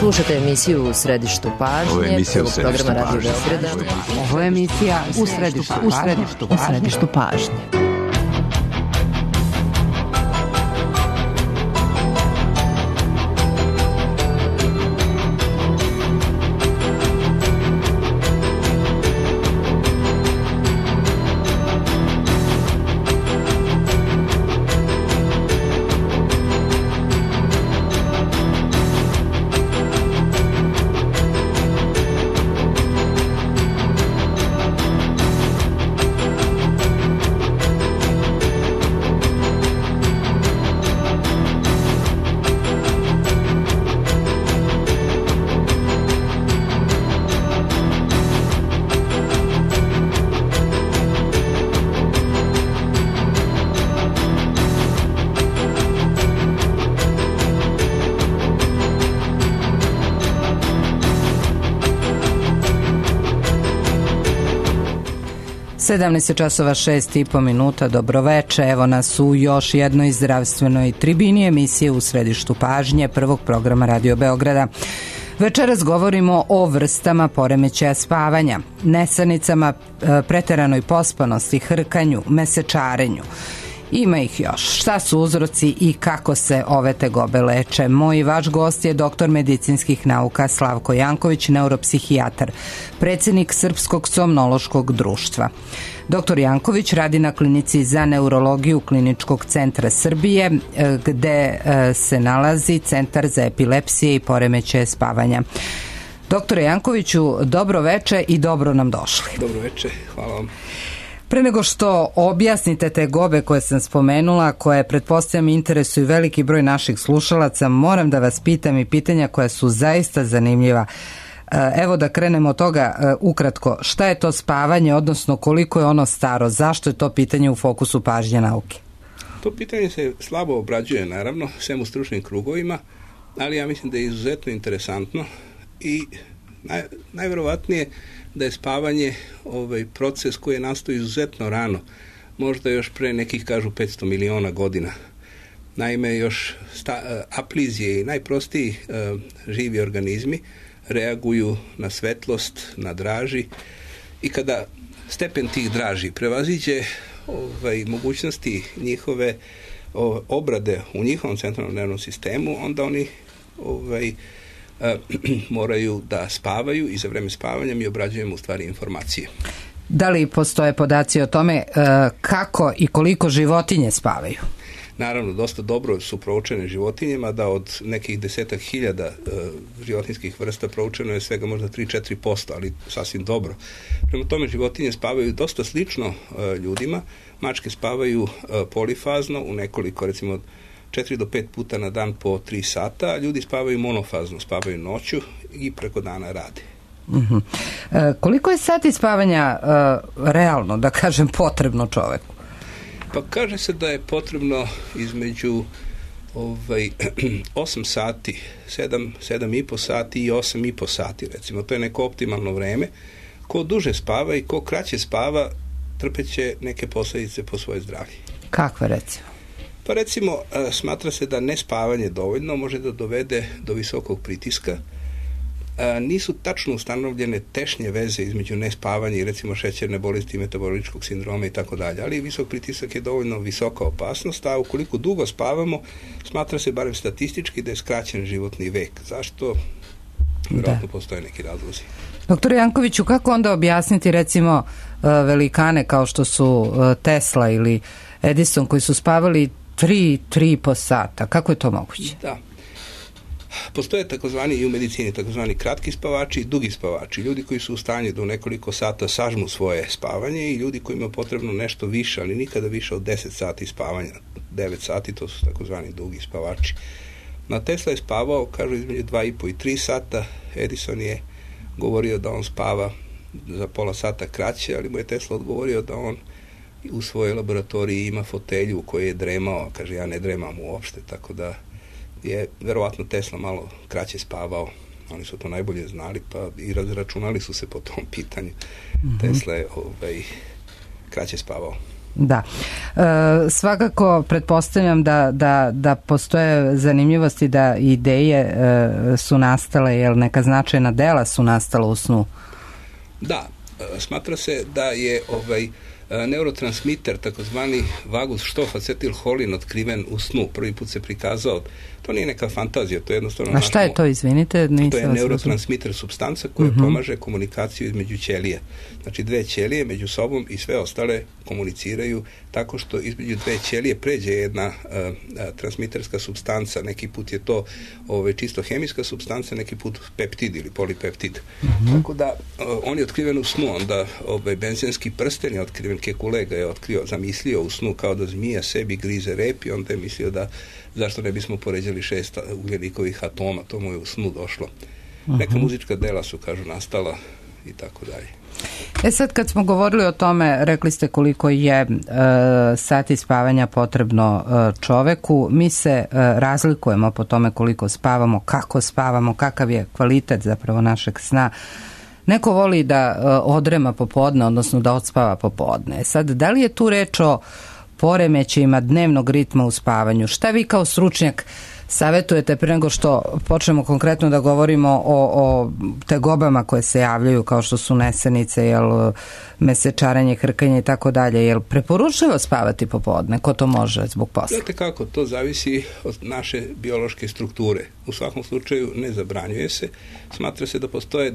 Slušate emisiju U središtu pažnje, prvog programa Radio Beograda. Ovo je emisija U središtu pažnje. Sedamnaest časova 6:30. Dobroveče, evo nas u još jednoj zdravstvenoj tribini emisije U središtu pažnje prvog programa Radio Beograda. Večeras govorimo o vrstama poremećaja spavanja, nesanicama, preteranoj pospanosti, hrkanju, mesečarenju. Ima ih još. Šta su uzroci i kako se ove tegobe leče? Moj i vaš gost je doktor medicinskih nauka Slavko Janković, neuropsihijatar, predsjednik Srpskog somnološkog društva. Doktor Janković radi na klinici za neurologiju Kliničkog centra Srbije, gde se nalazi Centar za epilepsije i poremećaje spavanja. Doktore Jankoviću, dobro veče i dobro nam došli. Dobro veče, hvala vam. Pre nego što objasnite tegobe koje sam spomenula, koje pretpostavljam interesuju veliki broj naših slušalaca, moram da vas pitam i pitanja koja su zaista zanimljiva. Evo da krenemo od toga ukratko. Šta je to spavanje, odnosno koliko je ono staro? Zašto je to pitanje u fokusu pažnje nauke? To pitanje se slabo obrađuje, naravno, sem u stručnim krugovima, ali ja mislim da je izuzetno interesantno i najverovatnije da je spavanje proces koji je nastao izuzetno rano, možda još pre nekih, kažu, 500 miliona godina. Naime, još aplizije i najprostiji živi organizmi reaguju na svetlost, na draži, i kada stepen tih draži prevaziđe mogućnosti njihove obrade u njihovom centralnom nervnom sistemu, onda oni moraju da spavaju i za vreme spavanja mi obrađujemo u stvari informacije. Da li postoje podaci o tome kako i koliko životinje spavaju? Naravno, dosta dobro su proučene životinjama, da od nekih 10.000 životinjskih vrsta proučeno je svega možda 3-4%, ali sasvim dobro. Prema tome, životinje spavaju dosta slično ljudima. Mačke spavaju polifazno u nekoliko, recimo 4 do 5 puta na dan po 3 sata, a ljudi spavaju monofazno, spavaju noću i preko dana rade. Uh-huh. Koliko je sati spavanja realno, da kažem, potrebno čoveku? Pa kaže se da je potrebno između 8 sati, 7,5 sati i 8,5 sati, recimo. To je neko optimalno vreme. Ko duže spava i ko kraće spava, trpeće neke posljedice po svoje zdravlje. Kakve, recimo? Pa recimo, smatra se da nespavanje dovoljno može da dovede do visokog pritiska. Nisu tačno ustanovljene tešnje veze između nespavanja i recimo šećerne bolesti, metaboličkog sindroma i tako dalje, ali visok pritisak je dovoljno visoka opasnost, a ukoliko dugo spavamo, smatra se barem statistički da je skraćen životni vek. Zašto? Vjerojatno postoje neki razlozi. Doktor Jankoviću, kako onda objasniti recimo velikane kao što su Tesla ili Edison koji su spavali 3,5 sata? Kako je to moguće? Da. Postoje takozvani i u medicini takozvani kratki spavači i dugi spavači. Ljudi koji su u stanju da u nekoliko sata sažmu svoje spavanje i ljudi koji imaju potrebno nešto više, ali nikada više od 10 sati spavanja. 9 sati, to su takozvani dugi spavači. Na Tesla je spavao, kažu, između 2,5 i 3 sata. Edison je govorio da on spava za pola sata kraće, ali mu je Tesla odgovorio da on u svojoj laboratoriji ima fotelju u kojoj je dremao. Kaže, ja ne dremam uopšte, tako da je verovatno Tesla malo kraće spavao. Oni su to najbolje znali, pa i razračunali su se po tom pitanju. Mm-hmm. Tesla je kraće spavao. Da. Svakako pretpostavljam da postoje zanimljivosti, da ideje su nastale, jel neka značajna dela su nastala u snu? Da, smatra se da je neurotransmiter, takozvani vagus štof acetilholin, otkriven u snu. Prvi put se prikazao. To nije neka fantazija, to je jednostavno... A šta je to, izvinite? To je neurotransmiter supstanca koja pomaže komunikaciju između ćelija. Znači, dve ćelije među sobom i sve ostale komuniciraju tako što između dve ćelije pređe jedna transmiterska supstanca. Neki put je to čisto hemijska supstanca, neki put peptid ili polipeptid. Tako da, on je otkriven u snu, onda benzenski prsten je otkriven, Kekulé ga je zamislio u snu kao da zmija sebi grize rep i onda je mislio da zašto ne bismo poređali 6 ugljenikovih atoma, to mu je u snu došlo. Neka muzička dela su, kažu, nastala i tako dalje. Sad kad smo govorili o tome, rekli ste koliko je sati spavanja potrebno čoveku. Mi se razlikujemo po tome koliko spavamo, kako spavamo, kakav je kvalitet zapravo našeg sna. Neko voli da odrema popodne, odnosno da odspava popodne. Sad, da li je tu reč o poremećajima dnevnog ritma u spavanju? Šta vi kao stručnjak savjetujete pre nego što počnemo konkretno da govorimo o tegobama koje se javljaju, kao što su nesanice, mesečarenje, hrkanje i tako dalje? Jel preporučljivo spavati popodne? Ko to može zbog posla? Znate kako, to zavisi od naše biološke strukture. U svakom slučaju ne zabranjuje se. Smatra se da postoje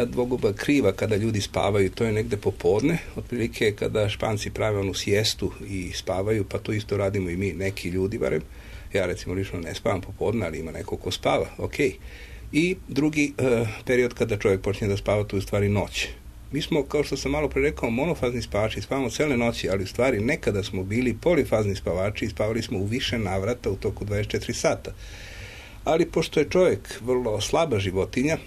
dvoguba kriva kada ljudi spavaju, to je negde popodne, otprilike kada Španci prave onu sijestu i spavaju, pa to isto radimo i mi, neki ljudi barem. Ja recimo lično ne spavam popodne, ali ima neko ko spava, ok. I drugi period kada čovjek počne da spava, to je u stvari noć. Mi smo, kao što sam malo pre rekao, monofazni spavači, spavamo cele noći, ali u stvari nekada smo bili polifazni spavači i spavali smo u više navrata u toku 24 sata. Ali pošto je čovjek vrlo slaba životinja,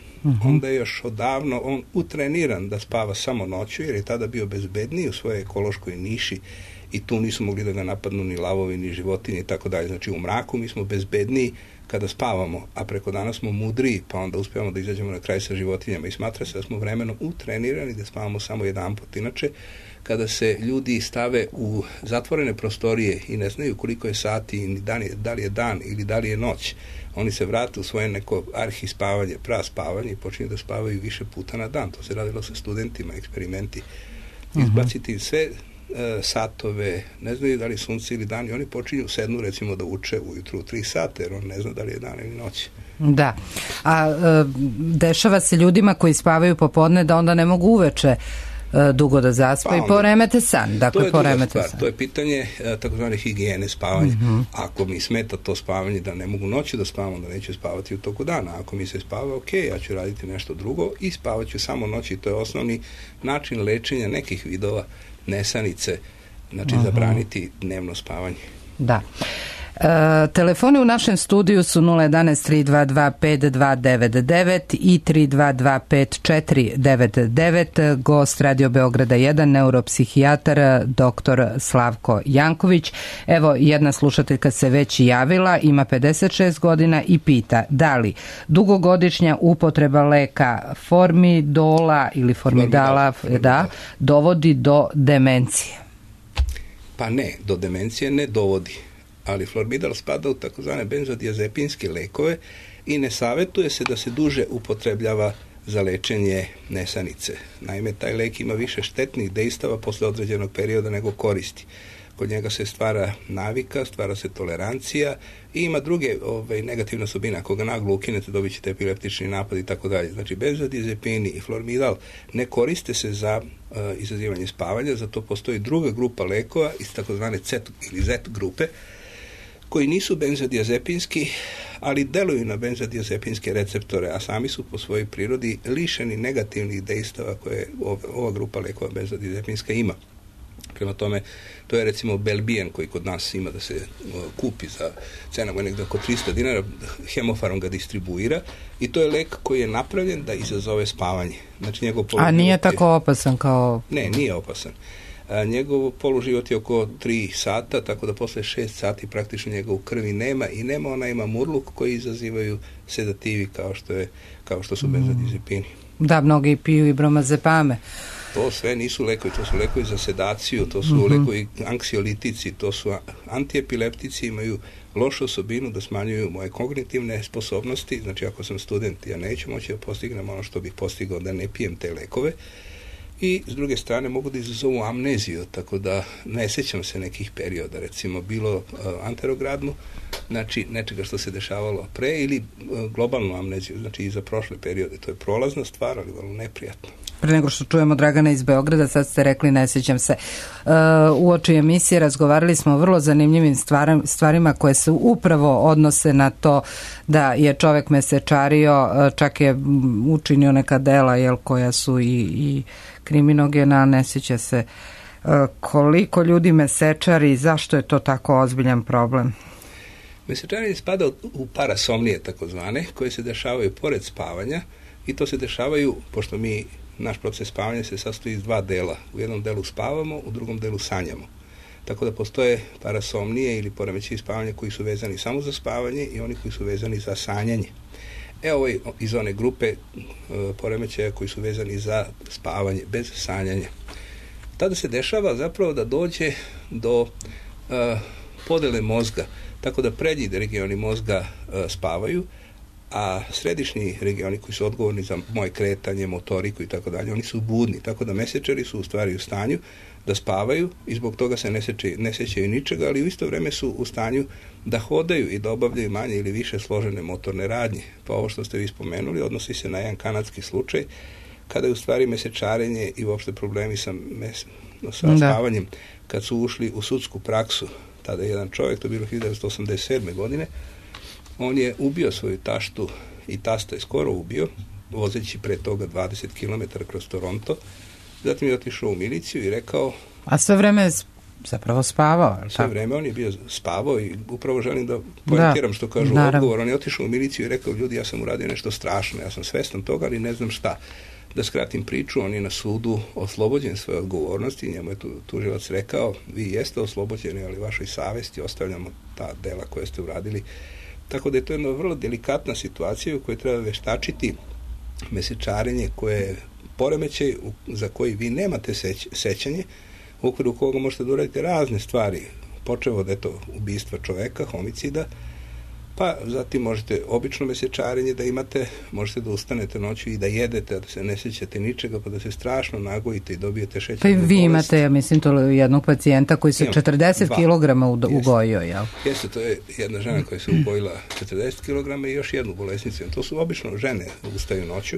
onda je još odavno on utreniran da spava samo noću, jer je tada bio bezbedniji u svojoj ekološkoj niši i tu nisu mogli da ga napadnu ni lavovi, ni životinje i tako dalje. Znači u mraku mi smo bezbedniji kada spavamo, a preko dana smo mudriji, pa onda uspijemo da izađemo na kraj sa životinjama i smatra se da smo vremenom utrenirani da spavamo samo jedanput. Inače, kada se ljudi stave u zatvorene prostorije i ne znaju koliko je sati, ni da li je dan ili da li je noć, oni se vrate u svoje neko arhispavanje, praspavanje i počinju da spavaju više puta na dan. To se radilo sa studentima, eksperimenti. Izbaciti sve satove, ne znaju da li sunce ili dan i oni počinju sednu recimo da uče ujutru u 3 sata jer on ne zna da li je dan ili noć. Da, a dešava se ljudima koji spavaju popodne da onda ne mogu uveče dugo da zaspa i poremete san. Dakle, to je druga stvar, to je pitanje takozvane higijene spavanja. Ako mi smeta to spavanje da ne mogu noći da spavam, onda neću spavati u toku dana. Ako mi se spava, ok, ja ću raditi nešto drugo i spavat ću samo noći. To je osnovni način lečenja nekih vidova nesanice, znači zabraniti dnevno spavanje. Da. Telefoni u našem studiju su 011 322 5299 i 322 5499. Gost Radio Beograda 1, neuropsihijatar dr. Slavko Janković. Evo, jedna slušateljka se već javila, ima 56 godina i pita da li dugogodišnja upotreba leka formidola ili formidala dovodi do demencije? Pa ne, do demencije ne dovodi. Ali formidal spada u takozvane benzodiazepinske lekove i ne savjetuje se da se duže upotrebljava za lečenje nesanice. Naime, taj lek ima više štetnih dejstava posle određenog perioda nego koristi. Kod njega se stvara navika, stvara se tolerancija i ima druge negativne osobine. Ako ga naglo ukinete, dobit ćete epileptični napad i tako dalje. Znači, benzodiazepini i formidal ne koriste se za izazivanje spavanja, zato postoji druga grupa lekova iz takozvane C ili Z grupe, koji nisu benzodiazepinski, ali deluju na benzodiazepinske receptore, a sami su po svojoj prirodi lišeni negativnih dejstava koje ova grupa lekova benzodiazepinska ima. Prema tome, to je recimo Belbijen koji kod nas ima da se kupi za cena mu je negdje oko 300 dinara, Hemofarm ga distribuira i to je lek koji je napravljen da izazove spavanje. Znači, njegov a nije tako opasan kao... Ne, nije opasan. Njegov poluživot je oko 3 sata, tako da posle 6 sati praktično njega u krvi nema i nema, ona ima murluk koji izazivaju sedativi kao što su benzodiazepini. Da, mnogi piju i bromazepame. To sve nisu lekovi, to su lekovi za sedaciju, to su lekovi anksiolitici, to su antiepileptici, imaju lošu osobinu da smanjuju moje kognitivne sposobnosti, znači ako sam student ja neću moći da postignem ono što bih postigao da ne pijem te lekove, i s druge strane mogu da izazovu amneziju, tako da ne sećam se nekih perioda, recimo bilo anterogradnu, znači nečega što se dešavalo pre, ili globalnu amneziju, znači i za prošle periode. To je prolazna stvar, ali vrlo neprijatno. Pre nego što čujemo Dragana iz Beograda, sad ste rekli, ne sjećam se. Uoči emisije razgovarali smo o vrlo zanimljivim stvarima koje se upravo odnose na to da je čovek mesečario, čak je učinio neka dela koja su i kriminogena, ne sjeća se koliko ljudi mesečari, zašto je to tako ozbiljan problem? Mesečarenje spada u parasomnije takozvane, koje se dešavaju pored spavanja, i to se dešavaju, pošto naš proces spavanja se sastoji iz dva dela. U jednom delu spavamo, u drugom delu sanjamo. Tako da postoje parasomnije ili poremećaji spavanja koji su vezani samo za spavanje i oni koji su vezani za sanjanje. Ovo je iz one grupe poremećaja koji su vezani za spavanje, bez sanjanja. Tada se dešava zapravo da dođe do podele mozga, tako da prednji regioni mozga spavaju, a središnji regioni koji su odgovorni za moje kretanje, motoriku i tako dalje, oni su budni, tako da mesečari su u stvari u stanju da spavaju i zbog toga se ne sećaju ničega, ali u isto vreme su u stanju da hodaju i da obavljaju manje ili više složene motorne radnje. Pa ovo što ste vi spomenuli odnosi se na jedan kanadski slučaj, kada je u stvari mesečarenje i uopšte problemi sa spavanjem, kad su ušli u sudsku praksu. Tada je jedan čovjek, to je bilo 1987. godine, on je ubio svoju taštu i tasta je skoro ubio, vozeći pre toga 20 km kroz Toronto. Zatim je otišao u miliciju i rekao... A sve vreme je zapravo spavao. Sve vreme on je bio spavao i upravo želim da pointiram što kažu odgovor. On je otišao u miliciju i rekao, ljudi, ja sam uradio nešto strašno, ja sam svestan toga, ali ne znam šta. Da skratim priču, on je na sudu oslobođen svoje odgovornosti, njemu je tužilac rekao, vi jeste oslobođeni, ali vašoj savesti ostavljamo ta dela koje ste uradili. Tako da je to jedna vrlo delikatna situacija u kojoj treba veštačiti mesečarenje koje je poremećaj za koji vi nemate sećanje, u okviru koga možete da uradite razne stvari, počev od ubistva čoveka, homicida, pa zatim možete obično mesečarenje da imate, možete da ustanete noću i da jedete, a da se ne sećate ničega, pa da se strašno nagojite i dobijete šećernu bolest. Pa vi imate, ja mislim, to jednog pacijenta koji se 40 kg ugojio, jel? Jeste, to je jedna žena koja se ugojila 40 kg i još jednu bolesnicu. To su obično žene ustaju noću.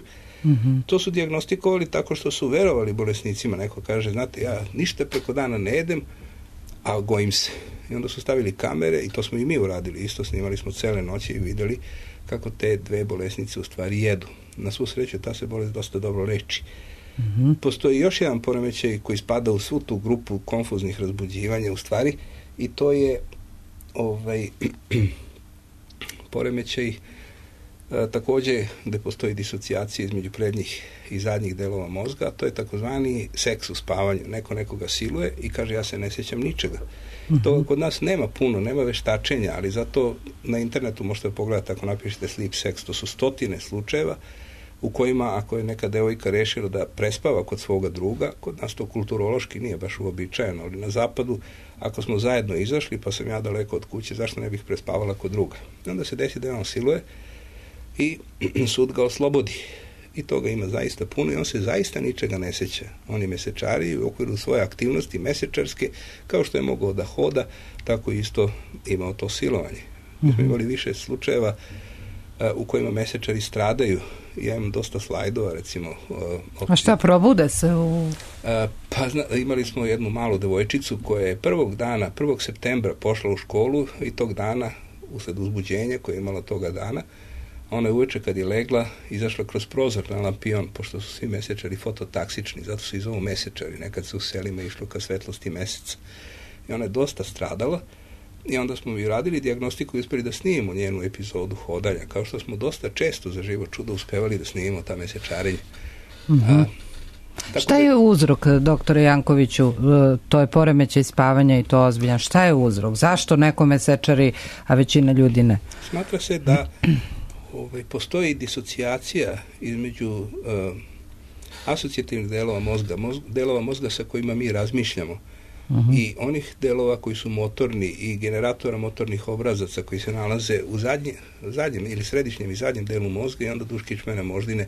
To su dijagnostikovali tako što su verovali bolesnicima. Neko kaže, znate, ja ništa preko dana ne jedem, a gojim se. I onda su stavili kamere i to smo i mi uradili. Isto snimali smo cele noći i videli kako te dve bolesnice u stvari jedu. Na svu sreću ta se bolest dosta dobro leči. Postoji još jedan poremećaj koji spada u svu tu grupu konfuznih razbuđivanja u stvari i to je poremećaj takođe gde postoji disocijacija između prednjih i zadnjih delova mozga, a to je takozvani seks u spavanju. Neko nekoga siluje i kaže ja se ne sjećam ničega. To kod nas nema puno, nema veštačenja, ali zato na internetu možete pogledati ako napišete sleep sex, to su stotine slučajeva u kojima ako je neka devojka rešila da prespava kod svoga druga, kod nas to kulturološki nije baš uobičajeno, ali na zapadu ako smo zajedno izašli pa sam ja daleko od kuće, zašto ne bih prespavala kod druga? I onda se desi da on siluje i sud ga oslobodi. I toga ima zaista puno i on se zaista ničega ne seća. On je mesečari i u okviru svoje aktivnosti mesečarske, kao što je mogao da hoda, tako isto imao to silovanje. Mi smo imali više slučajeva u kojima mesečari stradaju. Ja imam dosta slajdova, recimo. A šta, probude se imali smo jednu malu devojčicu koja je 1. septembra pošla u školu i tog dana, usled uzbuđenja koje je imala toga dana, ona je uveče kad je legla izašla kroz prozor na lampion, pošto su svi mesečari fototaksični, zato se i zovu mesečari, nekad se u selima išlo ka svetlosti meseca. I ona je dosta stradala i onda smo mi radili dijagnostiku i uspeli da snimimo njenu epizodu hodanja, kao što smo dosta često za živo čudo uspevali da snimimo ta mesečarenja. Šta je uzrok, doktore Jankoviću? To je poremećaj spavanja i to ozbiljan. Šta je uzrok? Zašto neko mesečari, a većina ljudi ne? Smatra se da postoji disocijacija između asocijativnih delova mozga sa kojima mi razmišljamo i onih delova koji su motorni i generatora motornih obrazaca koji se nalaze u zadnjem ili središnjem i zadnjem delu mozga i onda duž kičmene moždine.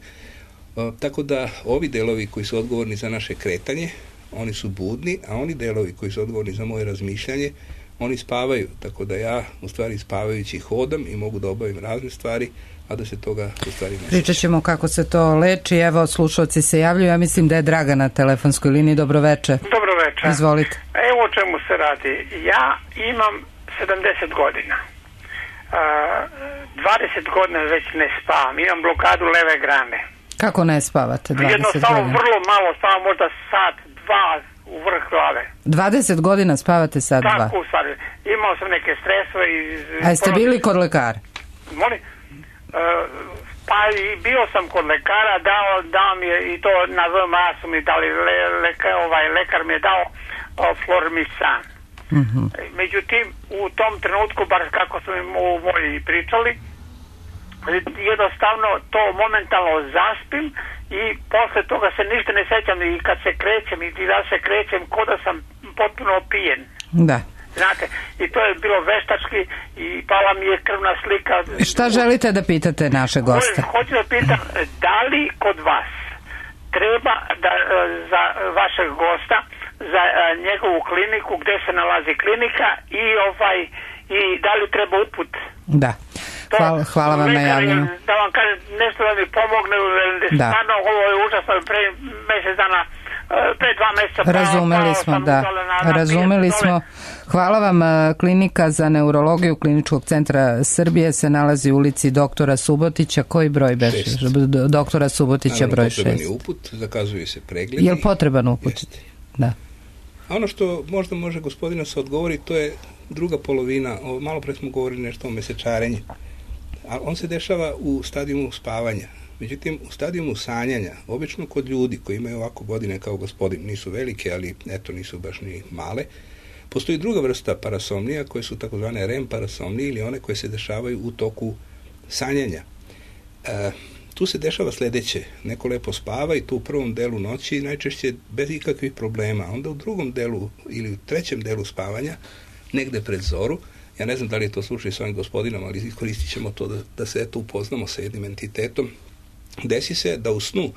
Tako da ovi delovi koji su odgovorni za naše kretanje, oni su budni, a oni delovi koji su odgovorni za moje razmišljanje, oni spavaju, tako da ja u stvari spavajući hodam i mogu da obavim razne stvari, a da se toga u stvari ne Pričat ćemo kako se to leči. Evo, slušalci se javljaju. Ja mislim da je Draga na telefonskoj liniji. Dobroveče. Dobroveče. Izvolite. Evo o čemu se radi. Ja imam 70 godina. 20 godina već ne spavam. Imam blokadu leve grane. Kako ne spavate 20 godina? Jednostavno vrlo malo spavam, možda sat, dva u vrh glave. 20 godina spavate sat, dva? Tako u stvari. Imao sam neke stresove. A jeste bili kod lekara? Molim? Pa i bio sam kod lekara, dao mi je i to na VMA su mi dali, lekar mi je dao Flormisan. Međutim, u tom trenutku, bar kako su mi moji pričali, jednostavno to momentalno zaspim i posle toga se ništa ne sećam i kad se krećem i da se krećem ko da sam potpuno opijen. Da. Znate, i to je bilo veštački i pala mi je krvna slika. Šta želite da pitate naše goste? Hoću da pitam, da li kod vas treba da za vašeg gosta, za njegovu kliniku, gde se nalazi klinika i da li treba uput? Da. Hvala vam na javljanju. Da vam kažem nešto da mi pomogne, stvarno ovo je užasno, pre mesec dana, pre 2 meseca. Razumeli smo. Hvala vam. Klinika za neurologiju Kliničkog centra Srbije se nalazi u ulici doktora Subotića. Koji broj beše? Doktora Subotića broj 6. Potreban je uput, zakazuju se pregledi. Je li potreban uput? Jeste. Da. A ono što možda može gospodina se odgovori, to je druga polovina. Malo pre smo govorili nešto o mesečarenju. A on se dešava u stadijumu spavanja. Međutim, u stadijumu sanjanja, obično kod ljudi koji imaju ovako godine kao gospodin, nisu velike, ali eto, nisu baš ni male, postoji druga vrsta parasomnija koje su takozvane REM parasomnije ili one koje se dešavaju u toku sanjanja. Tu se dešava sledeće. Neko lepo spava i tu u prvom delu noći najčešće bez ikakvih problema. Onda u drugom delu ili u trećem delu spavanja, negde pred zoru, ja ne znam da li je to slučaj s ovim gospodinom, ali iskoristit ćemo to da se eto upoznamo sa jednim entitetom. Desi se da u snu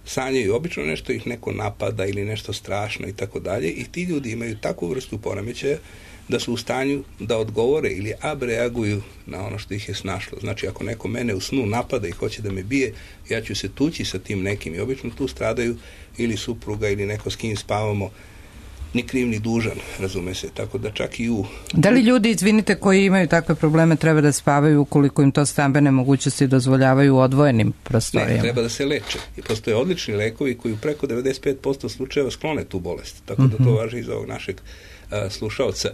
sanjaju obično nešto, ih neko napada ili nešto strašno i tako dalje i ti ljudi imaju takvu vrstu poremećaja da su u stanju da odgovore ili abreaguju na ono što ih je snašlo. Znači, ako neko mene u snu napada i hoće da me bije, ja ću se tući sa tim nekim i obično tu stradaju ili supruga ili neko s kim spavamo, ni kriv ni dužan, razume se, tako da čak i u... Da li ljudi, izvinite, koji imaju takve probleme treba da spavaju ukoliko im to stambene mogućnosti dozvoljavaju u odvojenim prostorijama? Ne, treba da se leče. I postoje odlični lekovi koji u preko 95% slučajeva sklone tu bolest, tako da to važi i za ovog našeg slušaoca.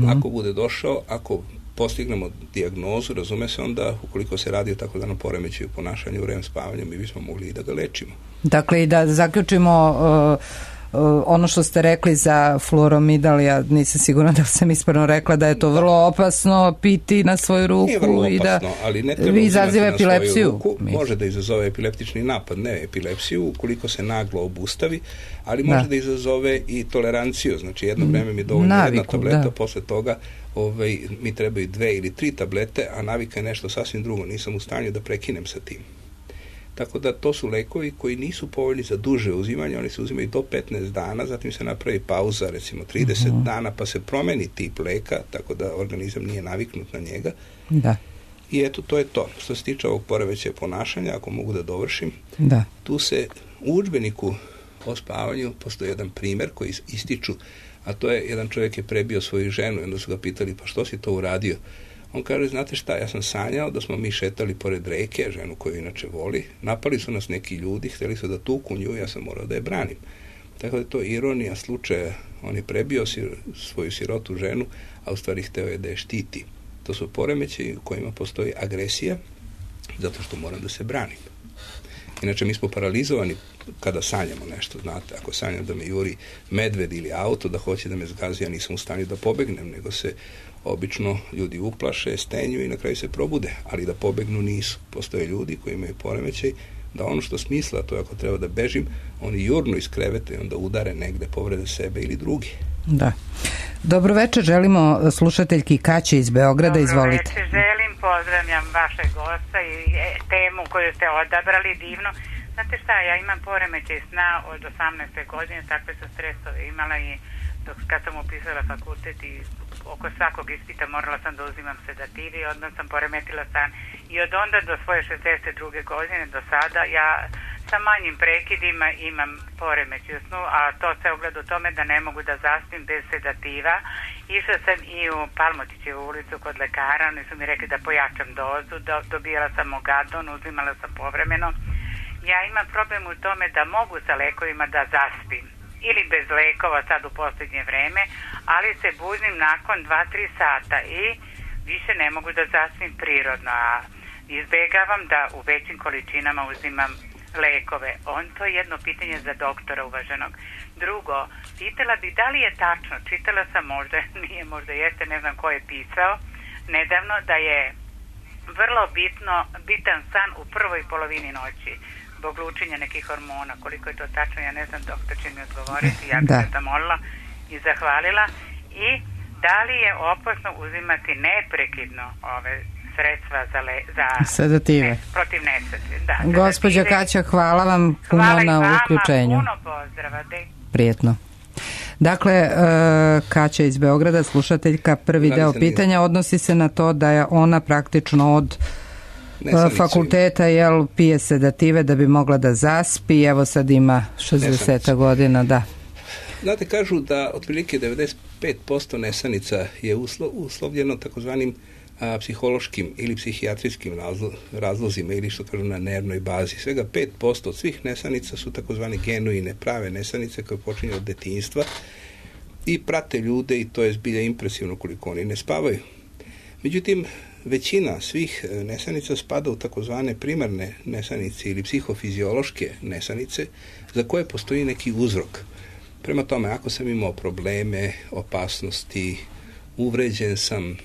Ako bude došao, ako postignemo dijagnozu, razume se, onda ukoliko se radi o takozvanom poremećaju ponašanju u REM spavanju, mi bismo mogli i da ga lečimo. Dakle, i da zaključimo ono što ste rekli za fluoromidal, ja nisam sigurna da sam ispravno rekla da je to vrlo opasno piti na svoju ruku. Nije vrlo opasno, i da ali ne treba izaziva epilepsiju. Ruku. Može da izazove epileptični napad, ne epilepsiju, ukoliko se naglo obustavi, ali može da izazove i toleranciju. Znači, jedno vreme mi je dovoljno jedna tableta, posle toga mi trebaju 2 ili 3 tablete, a navika je nešto sasvim drugo. Nisam u stanju da prekinem sa tim. Tako da to su lekovi koji nisu povoljni za duže uzimanje, oni se uzimaju do 15 dana, zatim se napravi pauza, recimo 30 dana, pa se promeni tip leka, tako da organizam nije naviknut na njega. Da. I eto, to je to. Što se tiče ovog poremećaja ponašanja, ako mogu da dovršim, tu se u udžbeniku o spavanju postoji jedan primer koji ističu, a to je, jedan čovjek je prebio svoju ženu i onda su ga pitali, pa što si to uradio? On kaže, znate šta, ja sam sanjao da smo mi šetali pored reke, ženu koju inače voli, napali su nas neki ljudi, htjeli su da tuku nju, ja sam morao da je branim. Tako da je to ironija slučaja, on je prebio svoju sirotu ženu, a u stvari hteo je da je štiti. To su poremećaji u kojima postoji agresija, zato što moram da se branim. Inače, mi smo paralizovani kada sanjamo nešto, znate, ako sanjam da me juri medved ili auto, da hoće da me zgazi, ja nisam u stanju da pobegnem, nego se obično ljudi uplaše, stenju i na kraju se probude, ali da pobegnu nisu. Postoje ljudi koji imaju poremećaj da ono što smisla, to je ako treba da bežim, oni jurnu iz kreveta i onda udare negde, povrede sebe ili drugi. Da. Dobro večer, želimo slušateljki Kaće iz Beograda, izvolite. Dobro večer, pozdravljam vašeg gosta i temu koju ste odabrali, divno. Znate šta, ja imam poremećaj sna od 18. godine, takve sam stresove imala i kad sam upisala fakultet i oko svakog ispita morala sam da uzimam sedative i odmah sam poremetila san. I od onda do svoje 62. godine do sada ja sa manjim prekidima imam poremećaj u snu, a to se ogleda u tome da ne mogu da zaspim bez sedativa. Išla sam i u Palmotićevu ulicu kod lekara, oni su mi rekli da pojačam dozu, dobijala sam Ogadon, uzimala sam povremeno. Ja imam problem u tome da mogu sa lekovima da zaspim ili bez lekova sad u posljednje vreme, ali se budim nakon 2-3 sata i više ne mogu da zaspim prirodno, a izbegavam da u većim količinama uzimam lekove. To je jedno pitanje za doktora uvaženog. Drugo, pitala bih da li je tačno, čitala sam možda, nije možda jeste, ne znam ko je pisao, nedavno da je vrlo bitan san u prvoj polovini noći zbog lučenja nekih hormona. Koliko je to tačno, ja ne znam, doktor će mi odgovoriti, ja bih se zamolila i zahvalila. I da li je opasno uzimati neprekidno ove sredstva za sedative protiv nesreće? Da, gospođa Kaća, hvala vam puno na uključenju. Puno pozdrava. Prijetno. Dakle, Kaća iz Beograda, slušateljka, prvi deo pitanja odnosi se na to da je ona praktično od fakulteta pije sedative da bi mogla da zaspi, evo sad ima 60 godina, da. Znate, kažu da otprilike 95% nesanica je uslovljeno takozvanim psihološkim ili psihijatrijskim razlozima ili što kažu na nervnoj bazi. Svega 5% od svih nesanica su takozvane genuine, prave nesanice koje počinju od detinjstva i prate ljude i to je zbilja impresivno koliko oni ne spavaju. Međutim, većina svih nesanica spada u takozvane primarne nesanice ili psihofiziološke nesanice za koje postoji neki uzrok. Prema tome, ako sam imao probleme, opasnosti, uvređen sam,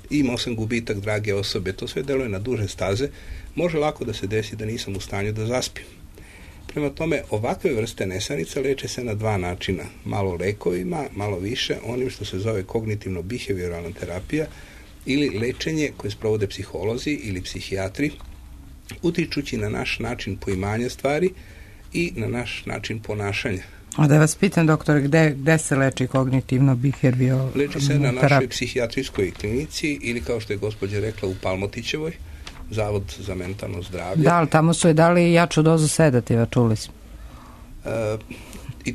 imao sam gubitak drage osobe, to sve deluje na duže staze, može lako da se desi da nisam u stanju da zaspim. Prema tome, ovakve vrste nesanica leče se na 2 načina. Malo lekovima, malo više onim što se zove kognitivno-behavioralna terapija ili lečenje koje sprovode psiholozi ili psihijatri, utičući na naš način poimanja stvari i na naš način ponašanja. A da vas pitam, doktore, gde se leči kognitivno-behavioralna terapija? Leči se na našoj psihijatrijskoj klinici ili, kao što je gospođa rekla, u Palmotićevoj, Zavod za mentalno zdravlje. Da, ali tamo su je dali jaču dozu sedativa, čuli smo.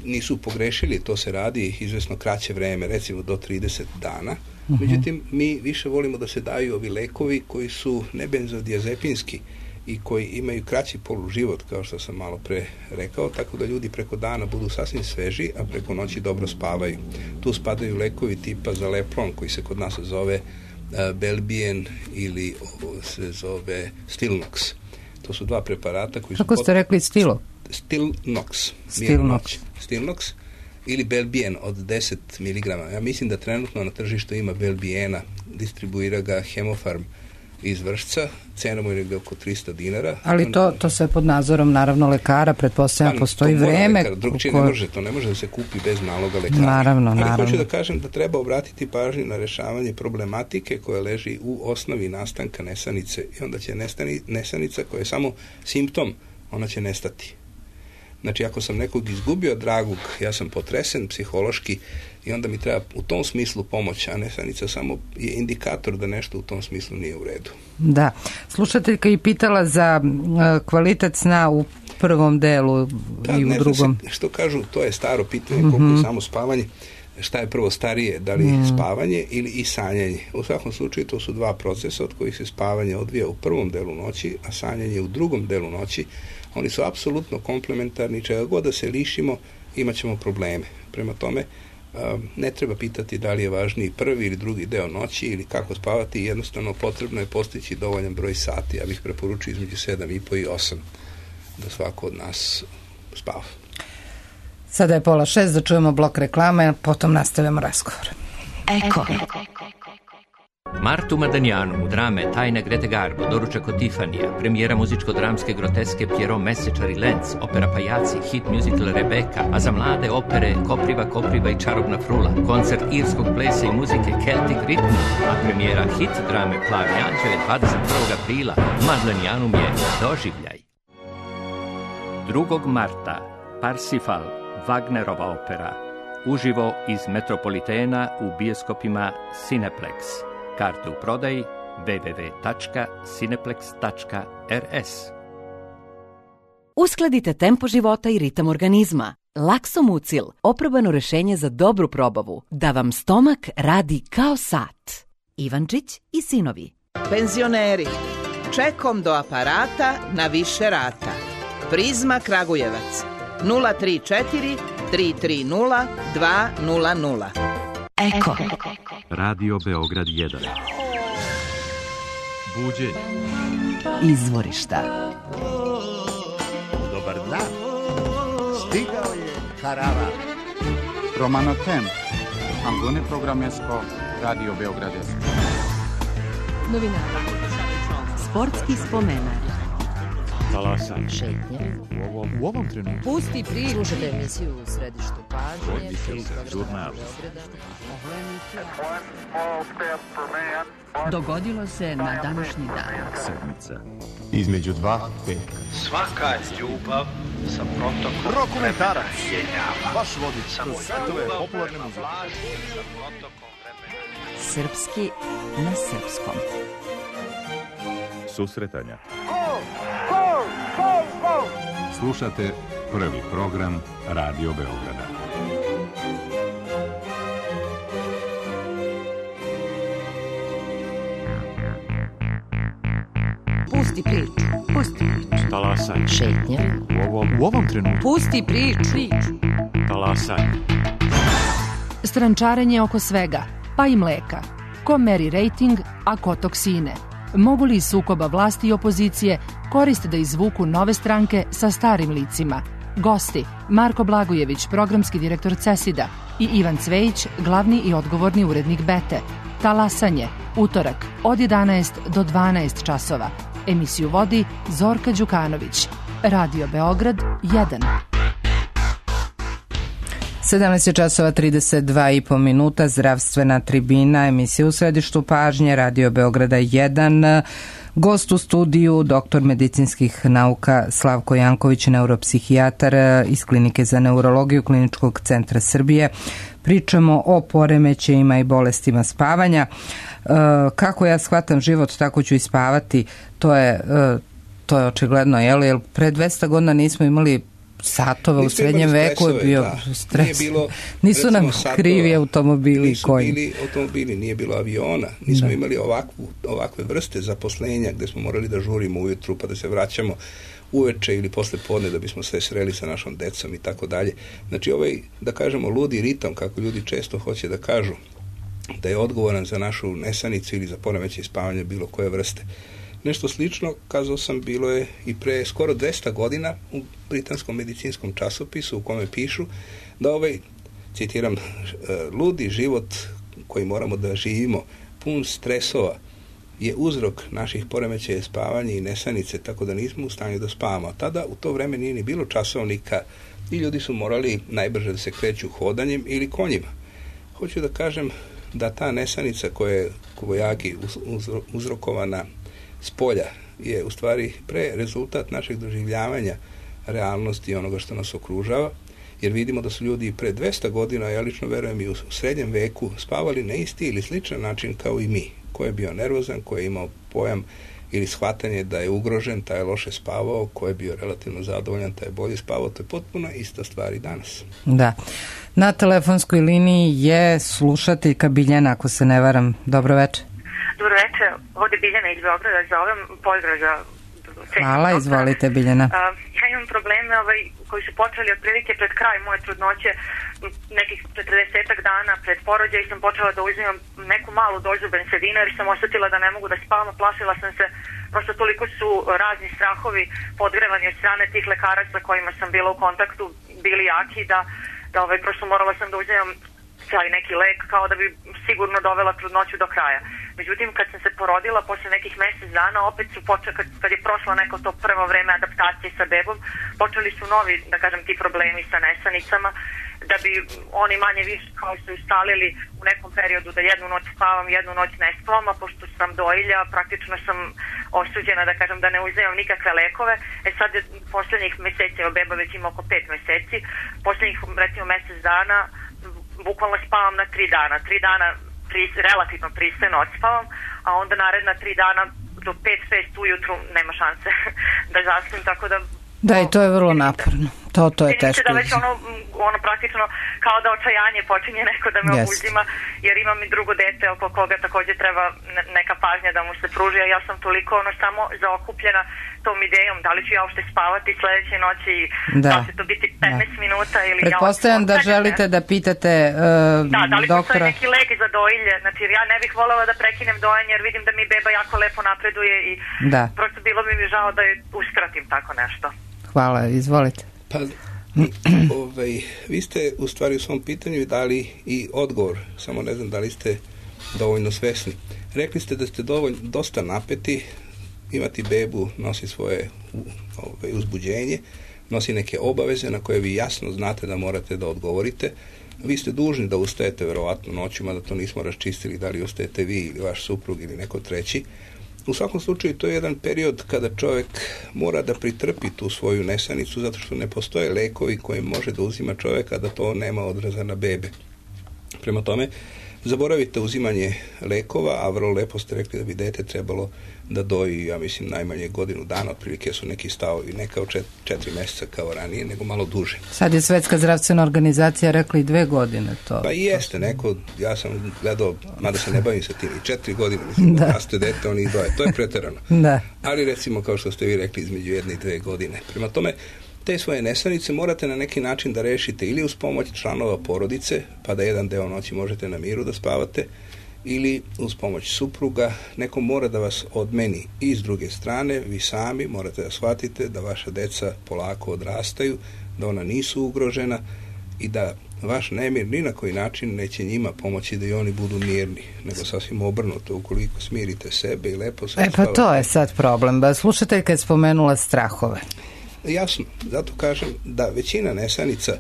Nisu pogrešili, to se radi izvesno kraće vreme, recimo do 30 dana. Međutim, mi više volimo da se daju ovi lekovi koji su nebenzodiazepinski i koji imaju kraći poluživot, kao što sam malo pre rekao, tako da ljudi preko dana budu sasvim sveži, a preko noći dobro spavaju. Tu spadaju lekovi tipa Zaleplon, koji se kod nas zove Belbien ili se zove Stilnox. To su 2 preparata koji su... Kako ste rekli Stilnox? Stilnox ili Belbien od 10 mg. Ja mislim da trenutno na tržištu ima Belbiena, distribuira ga Hemofarm iz Vršca, cena mu je oko 300 dinara. Ali to sve pod nadzorom naravno lekara, pretpostavljam postoji vreme. Drugčije to ne može da se kupi bez naloga lekara. Naravno. Ali hoću da kažem da treba obratiti pažnju na rešavanje problematike koja leži u osnovi nastanka nesanice i onda će nesanica koja je samo simptom, ona će nestati. Znači, ako sam nekog izgubio dragog, ja sam potresen psihološki i onda mi treba u tom smislu pomoć, a nesanica samo je indikator da nešto u tom smislu nije u redu. Da. Slušateljka je pitala za kvalitet sna u prvom delu i u drugom. Što kažu, to je staro pitanje, koliko je samo spavanje. Šta je prvo starije, da li spavanje ili i sanjanje? U svakom slučaju to su 2 procesa od kojih se spavanje odvija u prvom delu noći, a sanjanje u drugom delu noći. Oni su apsolutno komplementarni, čega god da se lišimo, imat ćemo probleme. Prema tome, ne treba pitati da li je važniji prvi ili drugi deo noći ili kako spavati, jednostavno potrebno je postići dovoljan broj sati. Ja bih preporučio između 7,5 i 8 da svako od nas spava. Sada je 5:30, da čujemo blok reklame, potom nastavljamo razgovor. Martu Madanjanu u drame Tajna Grete Garbo, doručak od Tifanija, premijera muzičko-dramske groteske Pierrot Mesečar i Lenz, opera Pajaci, hit musical Rebeka, a za mlade opere Kopriva i Čarobna frula, koncert irskog plesa i muzike Celtic Rhythm, a premijera hit drame Plavi anđeo je 21. aprila. Madanjanum je doživljaj. 2. marta Parsifal, Wagnerova opera, uživo iz Metropolitena u bioskopima Cineplex. Karte u prodaji www.cineplex.rs. Uskladite tempo života i ritam organizma. Laksomucil, oprobano rešenje za dobru probavu, da vam stomak radi kao sat. Ivančić i sinovi. Penzioneri, čekom do aparata na više rata. Prizma Kragujevac 034 330 200. Eko. Radio Beograd 1. Buđenje. Izvorišta. Dobar dan. Stigao je Harava. Romano Tem. Ambone Programesko. Radio Beograd 1. Novinara. Sportski spomenar. Talasan. Šetnje. U ovom trenutku. Pusti priču. Slušajte emisiju u središtu pažnje. Žurnal. Dogodilo se na današnji dan. Sedmica. Između dva veka. Svaka ljubav sa protokom Rokomentarac. Baš vodi samo svetove popularne muzike. Srpski na srpskom. Susretanja. Slušate prvi program Radio Beograda. Pusti priču. Pusti priču. Talasaj. Šetnje. U ovom trenutku. Pusti priču. Talasaj. Strančarenje oko svega, pa i mleka. Ko meri rejting, a ko toksine. Mogu li sukoba vlasti i opozicije koriste da izvuku nove stranke sa starim licima? Gosti: Marko Blagojević, programski direktor CESID-a, i Ivan Cvejić, glavni i odgovorni urednik Bete. Talasanje, utorak, od 11 do 12 časova. Emisiju vodi Zorka Đukanović. Radio Beograd 1. 17 časova 32,5 minuta, zdravstvena tribina, emisija u središtu pažnje, Radio Beograda 1. Gost u studiju, doktor medicinskih nauka Slavko Janković, neuropsihijatar iz Klinike za neurologiju Kliničkog centra Srbije. Pričamo o poremećajima i bolestima spavanja. Kako ja shvatam život, tako ću i spavati. To je očigledno, jer pre 200 godina nismo imali satove, u srednjem veku je bio stres. Nisu nam krivi automobili. Nisu bili automobili, nije bilo aviona. Nismo imali ovakve vrste zaposlenja gde smo morali da žurimo ujutru pa da se vraćamo uveče ili posle podne da bismo se sreli sa našom decom i tako dalje. Znači ovaj, da kažemo, ludi ritam, kako ljudi često hoće da kažu, da je odgovoran za našu nesanicu ili za poremećaj spavanja bilo koje vrste. Nešto slično, kazao sam, bilo je i pre skoro 200 godina u britanskom medicinskom časopisu u kome pišu da citiram, ludi život koji moramo da živimo, pun stresova, je uzrok naših poremećaja spavanja i nesanice, tako da nismo u stanju da spavamo. Tada u to vreme nije ni bilo časovnika i ljudi su morali najbrže da se kreću hodanjem ili konjima. Hoću da kažem da ta nesanica koja je kobajagi uzrokovana s polja je u stvari pre rezultat našeg doživljavanja realnosti i onoga što nas okružava, jer vidimo da su ljudi pre 200 godina, ja lično verujem i u srednjem veku, spavali na isti ili sličan način kao i mi. Ko je bio nervozan, ko je imao pojam ili shvatanje da je ugrožen, taj je loše spavao, ko je bio relativno zadovoljan, taj je bolje spavao, to je potpuno ista stvar i danas. Da. Na telefonskoj liniji je slušateljka Biljana, ako se ne varam. Dobro večer. Dobro večer, ovdje Biljana iz Beograda, zovem, pozdrav za... Hvala, izvolite Biljana. Ja imam probleme koji su počeli otprilike pred kraj moje trudnoće, nekih 40 dana pred porođaj sam počela da uzimam neku malu dozu bensedina jer sam osjetila da ne mogu da spavam, plašila sam se, prosto toliko su razni strahovi podgrevani od strane tih lekara sa kojima sam bila u kontaktu bili jaki da prosto morala sam da uzimam taj neki lek kao da bi sigurno dovela trudnoću do kraja. Međutim, kad sam se porodila, posle nekih mjesec dana, opet su počeli, kad je prošlo neko to prvo vreme adaptacije sa bebom, počeli su novi, da kažem, ti problemi sa nesanicama, da bi oni manje više kao su ustalili u nekom periodu da jednu noć spavam, jednu noć ne spavam, a pošto sam dojilja, praktično sam osuđena, da kažem, da ne uzimam nikakve lekove. Sad je posljednjih mjeseci, beba već ima oko 5 mjeseci, posljednjih recimo mjesec dana bukvalno spavam na 3 dana. 3 dana relativno pristojno odspavam, a onda naredna 3 dana do 5-6 ujutru nema šanse da zaspim, tako da... Da, i to je vrlo naporno. To je teško. Da već ono praktično kao da očajanje počinje neko da me obuzima, jer imam i drugo dete oko koga također treba neka pažnja da mu se pruži, a ja sam toliko samo zaokupljena tom idejom, da li ću ja uopšte spavati sledeće noći i da će to biti 15 minuta ili... Pretpostavljam da želite da pitate doktora... Da li postoji neki lek za dojilje, znači ja ne bih voljela da prekinem dojenje jer vidim da mi beba jako lepo napreduje i prosto bilo bi mi žao da je uskratim tako nešto. Hvala, izvolite. Pa, vi ste u stvari u svom pitanju dali i odgovor, samo ne znam da li ste dovoljno svesni. Rekli ste da ste dosta napeti, imati bebu nosi svoje uzbuđenje, nosi neke obaveze na koje vi jasno znate da morate da odgovorite. Vi ste dužni da ustajete verovatno noćima, da to nismo raščistili, da li ustajete vi ili vaš suprug ili neko treći. U svakom slučaju to je jedan period kada čovjek mora da pritrpi tu svoju nesanicu zato što ne postoje lekovi koje može da uzima čovjek, a da to nema odraza na bebe. Prema tome, zaboravite uzimanje lekova, a vrlo lepo ste rekli da bi dete trebalo da doji, ja mislim, najmanje godinu dana, otprilike su neki stavovi, ne kao 4 mjeseca kao ranije, nego malo duže. Sad je Svetska zdravstvena organizacija rekla i 2 godine to. Pa i jeste, neko, ja sam gledao, mada se ne bavim sa tim, i 4 godine, mislim, da raste dete, oni i doje, to je preterano. Da. Ali recimo, kao što ste vi rekli, između 1 i 2 godine. Prema tome, te svoje nesanice morate na neki način da rešite ili uz pomoć članova porodice, pa da jedan deo noći možete na miru da spavate, ili uz pomoć supruga. Neko mora da vas odmeni. I s druge strane, vi sami morate da shvatite da vaša deca polako odrastaju, da ona nisu ugrožena i da vaš nemir ni na koji način neće njima pomoći da i oni budu mirni, nego sasvim obrnuto, ukoliko smirite sebe i lepo se pa to je sad problem. Slušateljka je spomenula strahove. Jasno, zato kažem da većina nesanica,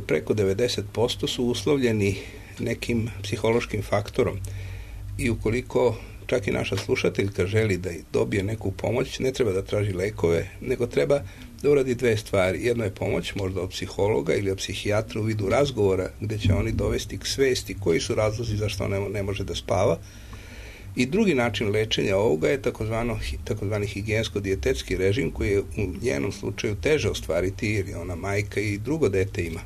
preko 90% su uslovljeni nekim psihološkim faktorom i ukoliko čak i naša slušateljka želi da dobije neku pomoć, ne treba da traži lekove, nego treba da uradi 2 stvari. Jedno je pomoć možda od psihologa ili od psihijatra u vidu razgovora gdje će oni dovesti k svesti koji su razlozi zašto ne može da spava. I drugi način lečenja ovoga je takozvani higijensko-dijetetski režim koji je u njenom slučaju teže ostvariti jer je ona majka i drugo dete ima.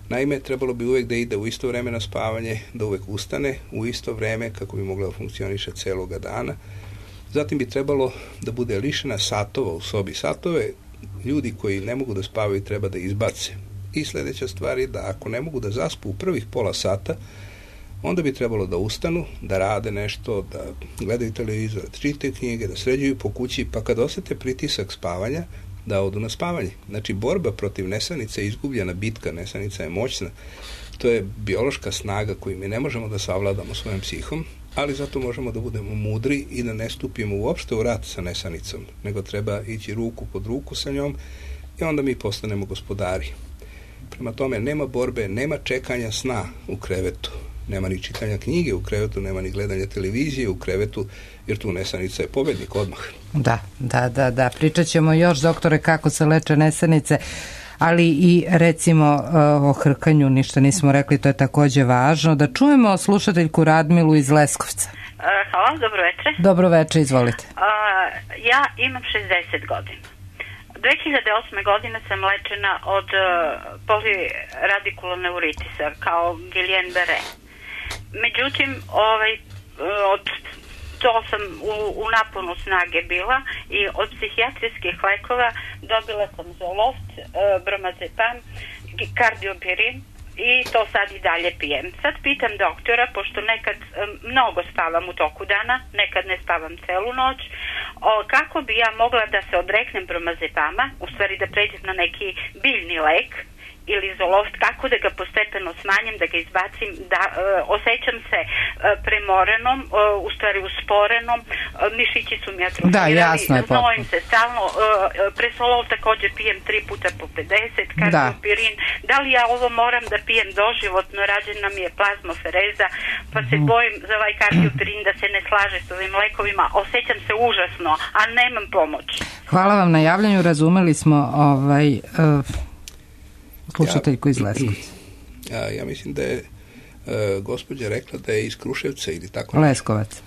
Naime, trebalo bi uvijek da ide u isto vreme na spavanje, da uvijek ustane u isto vreme kako bi mogla da funkcioniše celoga dana. Zatim bi trebalo da bude lišena satova u sobi. Satove ljudi koji ne mogu da spavaju treba da izbace. I sljedeća stvar je da ako ne mogu da zaspu u prvih pola sata, onda bi trebalo da ustanu, da rade nešto, da gledaju televizor, da čitaju knjige, da sređuju po kući, pa kad osete pritisak spavanja, da odu na spavanje. Znači, borba protiv nesanice je izgubljena bitka, nesanica je moćna. To je biološka snaga koju mi ne možemo da savladamo svojom psihom, ali zato možemo da budemo mudri i da ne stupimo uopšte u rat sa nesanicom, nego treba ići ruku pod ruku sa njom i onda mi postanemo gospodari. Prema tome, nema borbe, nema čekanja sna u krevetu. Nema ni čitanja knjige u krevetu, nema ni gledanja televizije u krevetu, jer tu nesanica je pobednik odmah. Da. Pričat ćemo još, doktore, kako se leče nesanice, ali i recimo o hrkanju ništa nismo rekli, to je također važno. Da čujemo slušateljku Radmilu iz Leskovca. Hvala, dobro večer. Dobro večer, izvolite. Ja imam 60 godina. 2008. godine sam lečena od poliradikuloneurotisa kao Guillain-Barré. Međutim, to sam u naponu snage bila i od psihijatrijskih lekova dobila sam Zoloft, Bromazepam, Kardiopirin i to sad i dalje pijem. Sad pitam doktora, pošto nekad mnogo spavam u toku dana, nekad ne spavam celu noć, kako bi ja mogla da se odreknem Bromazepama, u stvari da pređem na neki biljni lek ili Zoloft, kako da ga postepeno smanjim, da ga izbacim, da osjećam se premorenom, u stvari usporenom, mišići su mi atrofirali, znojim se stalno, Presolol također pijem 3 puta po 50, kardiopirin, da li ja ovo moram da pijem doživotno, rađena mi je plazmofereza, pa se bojim za ovaj kardiopirin da se ne slaže s ovim lekovima, osjećam se užasno, a nemam pomoć. Hvala vam na javljanju, razumeli smo slušateljku iz Leskovca. Ja mislim da je gospođa rekla da je iz Kruševca ili tako.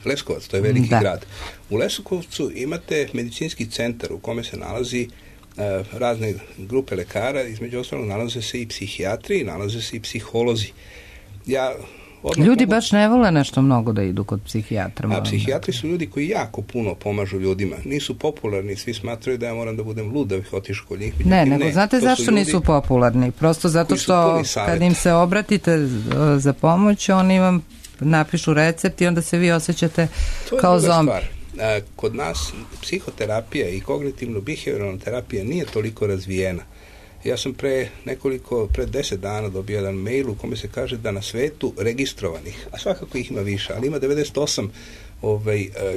Leskovac, to je veliki grad. U Leskovcu imate medicinski centar u kome se nalazi razne grupe lekara, između ostalog nalaze se i psihijatri, nalaze se i psiholozi. Ljudi baš ne vole nešto mnogo da idu kod psihijatra. A psihijatri su ljudi koji jako puno pomažu ljudima. Nisu popularni, svi smatraju da ja moram da budem lud da bih otišao kod njih. Nego znate zašto nisu popularni? Prosto zato što kad im se obratite za pomoć, oni vam napišu recept i onda se vi osjećate kao zombi. Kod nas psihoterapija i kognitivno-behavioralna terapija nije toliko razvijena. Ja sam pre 10 dana dobio jedan mail u kome se kaže da na svetu registrovanih, a svakako ih ima više, ali ima 98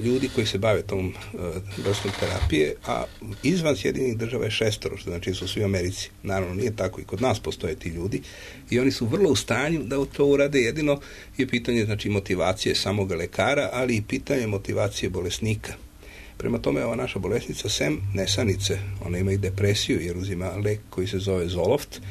ljudi koji se bave tom vrstom terapije, a izvan Sjedinjenih država je 6, što znači su svi u Americi. Naravno, nije tako, i kod nas postoje ti ljudi i oni su vrlo u stanju da to urade. Jedino je pitanje motivacije samoga lekara, ali i pitanje motivacije bolesnika. Prema tome, ova naša bolesnica, sem nesanice, ona ima i depresiju jer uzima lek koji se zove Zoloft.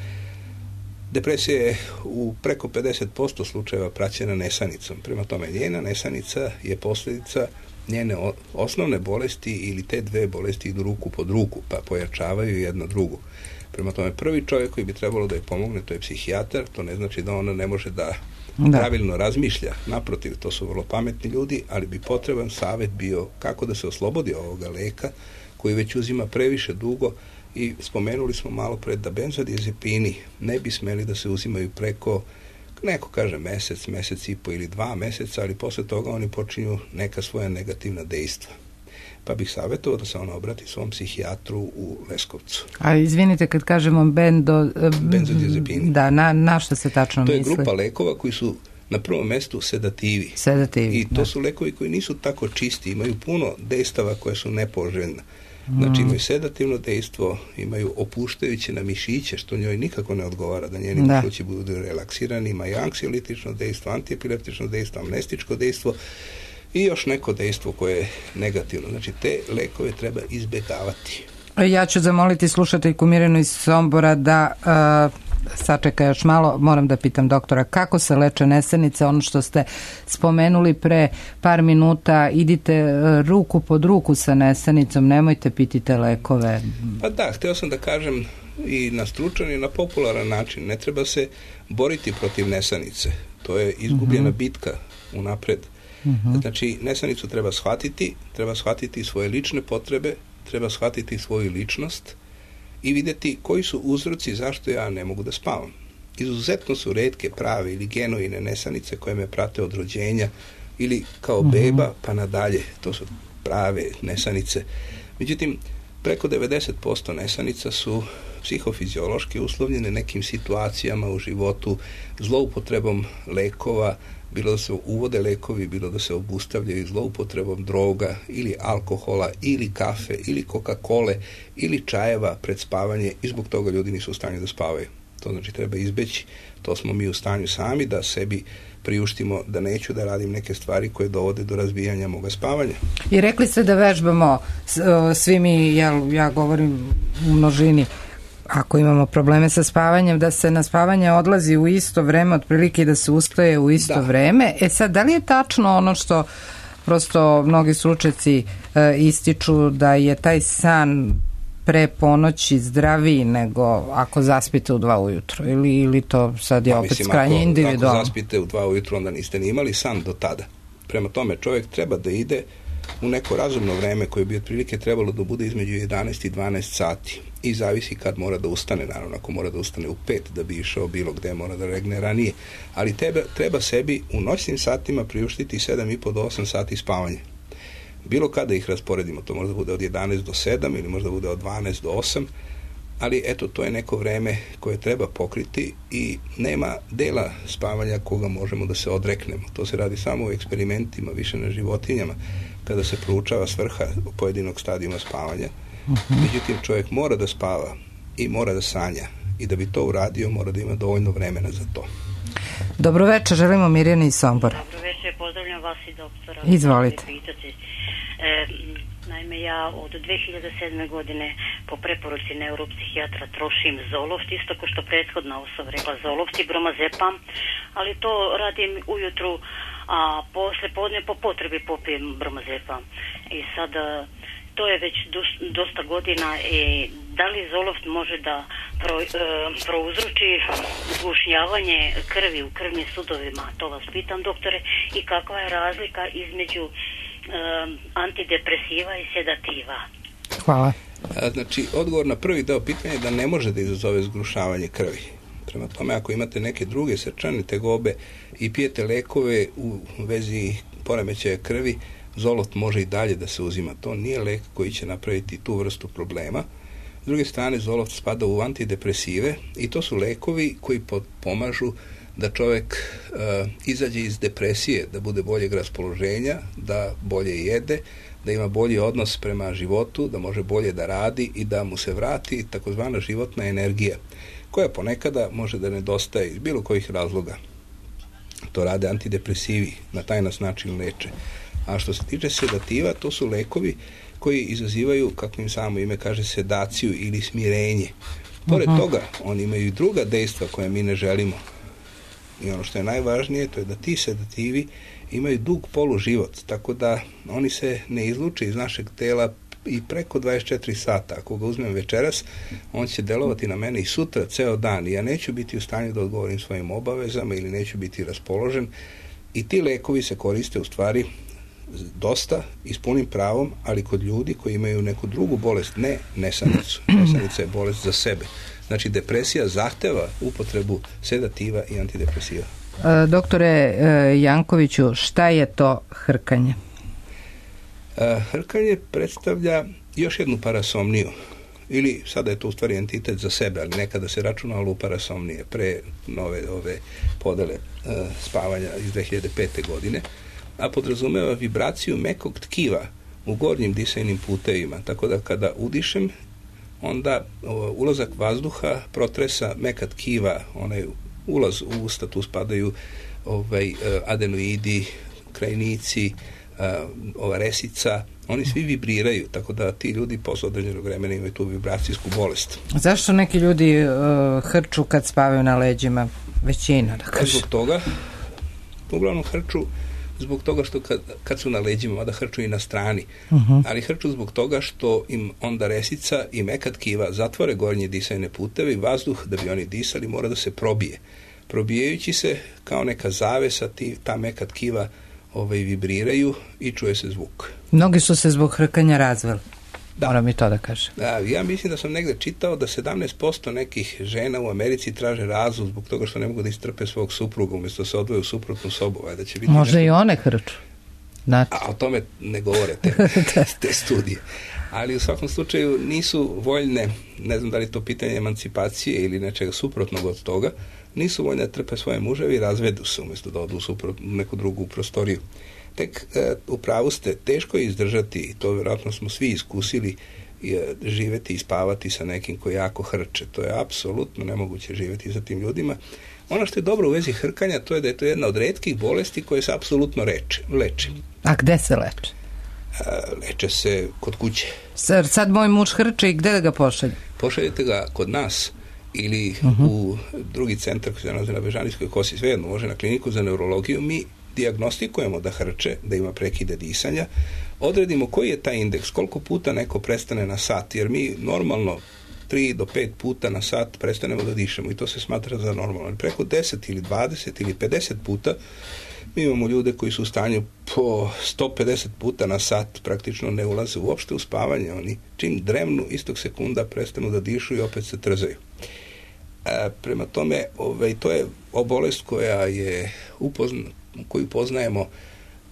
Depresija je u preko 50% slučajeva praćena nesanicom. Prema tome, njena nesanica je posljedica njene osnovne bolesti ili te dve bolesti idu ruku pod ruku, pa pojačavaju jedna drugu. Prema tome, prvi čovjek koji bi trebalo da je pomogne, to je psihijatar. To ne znači da ona ne može da pravilno razmišlja. Naprotiv, to su vrlo pametni ljudi, ali bi potreban savjet bio kako da se oslobodi ovoga leka koji već uzima previše dugo. I spomenuli smo malo pred da benzodiazepini ne bi smeli da se uzimaju preko, neko kaže mesec i po ili 2 meseca, ali posle toga oni počinju neka svoja negativna dejstva. Pa bih savjetovao da se ona obrati svom psihijatru u Leskovcu. A izvinite, kad kažemo benzodiazepini. Da, na što se tačno misli? To je grupa lekova koji su na prvom mestu sedativi. I to su lekovi koji nisu tako čisti, imaju puno dejstava koje su nepoželjna. Znači imaju sedativno dejstvo, imaju opuštajuće na mišiće, što njoj nikako ne odgovara da njeni mišići budu relaksirani, imaju anksiolitično dejstvo, antiepileptično dejstvo, amnestičko dejstvo i još neko dejstvo koje je negativno. Znači te lekove treba izbjegavati. Ja ću zamoliti slušateljku Mirjanu iz Sombora da sačeka još malo. Moram da pitam doktora kako se leče nesanice, ono što ste spomenuli pre par minuta, idite ruku pod ruku sa nesanicom, nemojte pitite lekove. Pa da, htio sam da kažem i na stručan i na popularan način, ne treba se boriti protiv nesanice, to je izgubljena bitka unapred. Znači nesanicu treba shvatiti svoje lične potrebe, treba shvatiti svoju ličnost i vidjeti koji su uzroci zašto ja ne mogu da spavam. Izuzetno su retke prave ili genuine nesanice koje me prate od rođenja ili kao beba pa nadalje. To su prave nesanice. Međutim, preko 90% nesanica su psihofiziološki uslovljene nekim situacijama u životu, zloupotrebom lekova, bilo da se uvode lekovi, bilo da se obustavljaju zloupotrebom droga ili alkohola ili kafe ili Coca-Cole ili čajeva pred spavanje i zbog toga ljudi nisu u stanju da spavaju. To znači treba izbeći. To smo mi u stanju sami da sebi priuštimo da neću da radim neke stvari koje dovode do razbijanja moga spavanja. I rekli ste da vežbamo svi mi, ja govorim u množini, ako imamo probleme sa spavanjem, da se na spavanje odlazi u isto vreme, otprilike da se ustaje u isto vreme. Sad, da li je tačno ono što prosto mnogi stručnjaci ističu da je taj san pre ponoći zdraviji nego ako zaspite u 2 ujutro ili to sad je opet krajnje individualno? Ako zaspite u 2 ujutro, onda niste ni imali san do tada. Prema tome, čovjek treba da ide u neko razumno vreme koje bi otprilike trebalo da bude između 11 i 12 sati. I zavisi kad mora da ustane, naravno ako mora da ustane u 5 da bi išao bilo gde, mora da regne ranije. Ali treba sebi u noćnim satima priuštiti 7,5 do 8 sati spavanja. Bilo kada ih rasporedimo, to možda bude od 11 do 7 ili možda bude od 12 do 8, ali eto, to je neko vreme koje treba pokriti i nema dela spavanja koga možemo da se odreknemo. To se radi samo u eksperimentima, više na životinjama, kada se proučava svrha pojedinog stadijuma spavanja. Međutim, čovjek mora da spava i mora da sanja i da bi to uradio mora da ima dovoljno vremena za to. Dobro večer, želimo Mirjani iz Sombora. Dobro večer, pozdravljam vas i doktora. Izvolite. Naime, ja od 2007. godine po preporuci neuropsihijatra trošim Zoloft, isto kao što prethodna osoba rekla Zoloft i bromazepam, ali to radim ujutru, a posle podne po potrebi popijem bromazepam. I sad, to je već dosta godina i da li Zoloft može da prouzroči zgušnjavanje krvi u krvnim sudovima? To vas pitam, doktore, i kakva je razlika između antidepresiva i sedativa? Hvala. Znači, odgovor na prvi deo pitanja je da ne može da izazove zgrušavanje krvi. Prema tome, ako imate neke druge srčane tegobe i pijete lekove u vezi poremećaja krvi, Zoloft može i dalje da se uzima. To nije lek koji će napraviti tu vrstu problema. S druge strane, Zoloft spada u antidepresive i to su lekovi koji pomažu da čovjek izađe iz depresije, da bude boljeg raspoloženja, da bolje jede, da ima bolji odnos prema životu, da može bolje da radi i da mu se vrati takozvana životna energija, koja ponekada može da nedostaje iz bilo kojih razloga. To rade antidepresivi, na taj nas način leče. A što se tiče sedativa, to su lekovi koji izazivaju, kako im samo ime kaže, sedaciju ili smirenje. Pored toga, oni imaju i druga dejstva koje mi ne želimo. I ono što je najvažnije, to je da ti sedativi imaju dug poluživot, tako da oni se ne izluče iz našeg tela i preko 24 sata. Ako ga uzmem večeras, on će delovati na mene i sutra, ceo dan. I ja neću biti u stanju da odgovorim svojim obavezama ili neću biti raspoložen. I ti lekovi se koriste u stvari dosta i s punim pravom, ali kod ljudi koji imaju neku drugu bolest, ne nesanicu. Nesanica je bolest za sebe. Znači, depresija zahteva upotrebu sedativa i antidepresiva. Doktore Jankoviću, šta je to hrkanje? Hrkanje predstavlja još jednu parasomniju. Ili, sada je to u stvari entitet za sebe, ali nekada se računalo u parasomnije, pre nove ove podele spavanja iz 2005. godine, a podrazumeva vibraciju mekog tkiva u gornjim disajnim putevima, tako da kada udišem, onda ulazak vazduha protresa meka tkiva, onaj ulaz u usta, tu spadaju adenoidi, krajnici, ova resica, oni svi vibriraju, tako da ti ljudi posle određenog vremena imaju tu vibracijsku bolest. Zašto neki ljudi hrču kad spavaju na leđima? Većina, da kažem. Zbog toga, uglavnom hrču zbog toga što kad su na leđima, mada hrču i na strani, ali hrču zbog toga što im onda resica i meka tkiva zatvore gornje disajne puteve i vazduh, da bi oni disali, mora da se probije. Probijajući se kao neka zavesa, ta meka tkiva vibriraju i čuje se zvuk. Mnogi su se zbog hrkanja razveli. Moram i to da kažem. Da, ja mislim da sam negde čitao da 17% nekih žena u Americi traže razvod zbog toga što ne mogu da istrpe svog supruga, umjesto da se odvoje u suprotnu sobu. Da će biti možda nešto... i one hrču. Znači. A o tome ne govore te studije. Ali u svakom slučaju nisu voljne, ne znam da li to pitanje emancipacije ili nečega suprotnog od toga, nisu voljne da trpe svoje muževi i razvedu se umjesto da odu u neku drugu prostoriju. Tek u pravu ste, teško je izdržati, i to vjerojatno smo svi iskusili, živeti i spavati sa nekim koji jako hrče. To je apsolutno nemoguće živeti sa tim ljudima. Ono što je dobro u vezi hrkanja, to je da je to jedna od retkih bolesti koje se apsolutno leče. A gde se leče? Leče se kod kuće. Sad moj muž hrče i gde da ga pošalje? Pošaljete ga kod nas ili u drugi centar koji se nalazi na Bežanijskoj kosi, svejedno može na kliniku za neurologiju. Mi dijagnostikujemo da hrče, da ima prekide disanja, odredimo koji je taj indeks, koliko puta neko prestane na sat, jer mi normalno 3 do 5 puta na sat prestanemo da dišemo i to se smatra za normalno. Preko 10 ili 20 ili 50 puta mi imamo ljude koji su u stanju po 150 puta na sat praktično ne ulaze uopšte u spavanje. Oni čim dremnu istog sekunda prestanu da dišu i opet se trzaju. Prema tome, to je bolest koja je koju poznajemo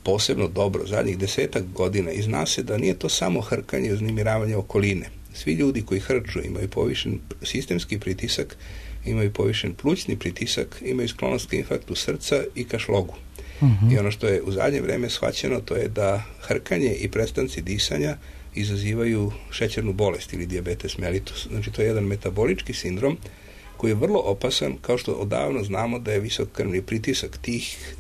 posebno dobro zadnjih 10 godina i zna se da nije to samo hrkanje i uznemiravanje okoline. Svi ljudi koji hrču imaju povišen sistemski pritisak, imaju povišen plućni pritisak, imaju sklonost ka infarktu srca i ka šlogu. I ono što je u zadnje vreme shvaćeno, to je da hrkanje i prestanci disanja izazivaju šećernu bolest ili dijabetes mellitus. Znači, to je jedan metabolički sindrom koji je vrlo opasan, kao što odavno znamo da je visok krvni pritisak tih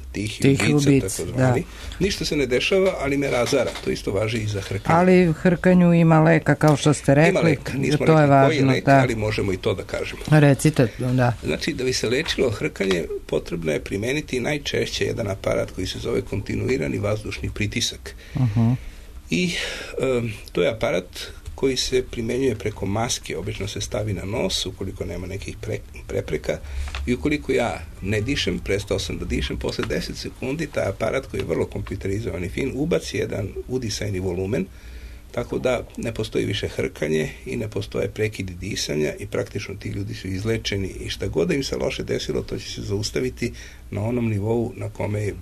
ubica, takozvani. Ništa se ne dešava, ali me razara. To isto važi i za hrkanje. Ali hrkanju ima leka, kao što ste rekli. Ima leka, nismo to rekli je važno, koji je lek, ali možemo i to da kažemo. Recite, da. Znači, da bi se lečilo hrkanje, potrebno je primeniti najčešće jedan aparat koji se zove kontinuirani vazdušni pritisak. I to je aparat koji se primenjuje preko maske, obično se stavi na nos ukoliko nema nekih prepreka i ukoliko ja ne dišem, prestao sam da dišem, posle 10 sekundi taj aparat koji je vrlo kompjuterizovan i fin ubaci jedan udisajni volumen, tako da ne postoji više hrkanje i ne postoje prekidi disanja i praktično ti ljudi su izlečeni i šta god da im se loše desilo, to će se zaustaviti na onom nivou na kome je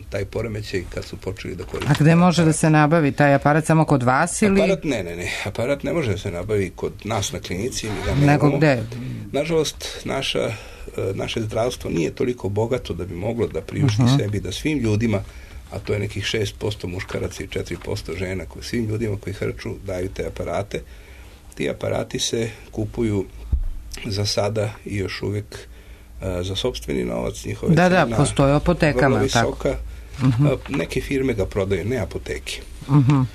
taj poremećaj kad su počeli da koriste. A gde može da se nabavi taj aparat, samo kod vas ili? Aparat ne. Aparat ne može da se nabavi kod nas na klinici. Nego gde? Nažalost, naše zdravstvo nije toliko bogato da bi moglo da priušti sebi da svim ljudima, a to je nekih 6% muškaraca i 4% žena, svim ljudima koji hrču daju te aparate. Ti aparati se kupuju za sada i još uvijek za sopstveni novac, njihove da, postoje apotekama. Vrlo visoka. Neke firme ga prodaju, ne apoteke.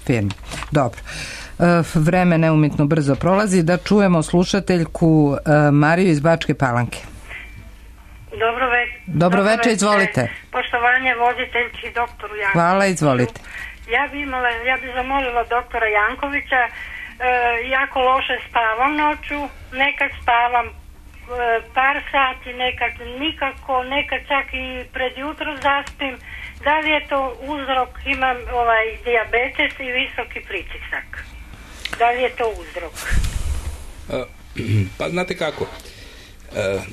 Firme. Dobro. Vreme neumitno brzo prolazi. Da čujemo slušateljku Mariju iz Bačke Palanke. Dobro večer, izvolite. Poštovanje voditeljki doktoru Jankoviću. Hvala, izvolite. Ja bi zamolila doktora Jankovića, jako loše spavam noću, nekad spavam par sati, nekad nikako, nekad čak i pred jutro zaspim. Da li je to uzrok, imam dijabetes i visoki pritisak. Da li je to uzrok? Pa znate kako,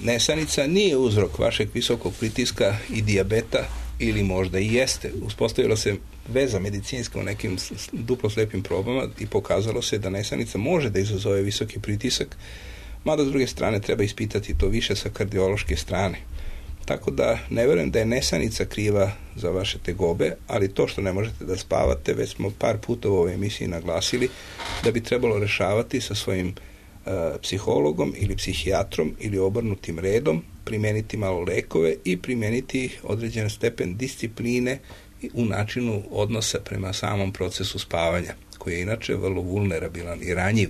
nesanica nije uzrok vašeg visokog pritiska i dijabeta, ili možda i jeste. Uspostavila se veza medicinska u nekim duplo slepim probama i pokazalo se da nesanica može da izazove visoki pritisak, mada s druge strane treba ispitati to više sa kardiološke strane. Tako da ne verujem da je nesanica kriva za vaše tegobe, ali to što ne možete da spavate, već smo par puta u ovoj emisiji naglasili da bi trebalo rešavati sa svojim psihologom ili psihijatrom ili obrnutim redom, primeniti malo lekove i primeniti određen stepen discipline u načinu odnosa prema samom procesu spavanja, koji je inače vrlo vulnerabilan i ranjiv.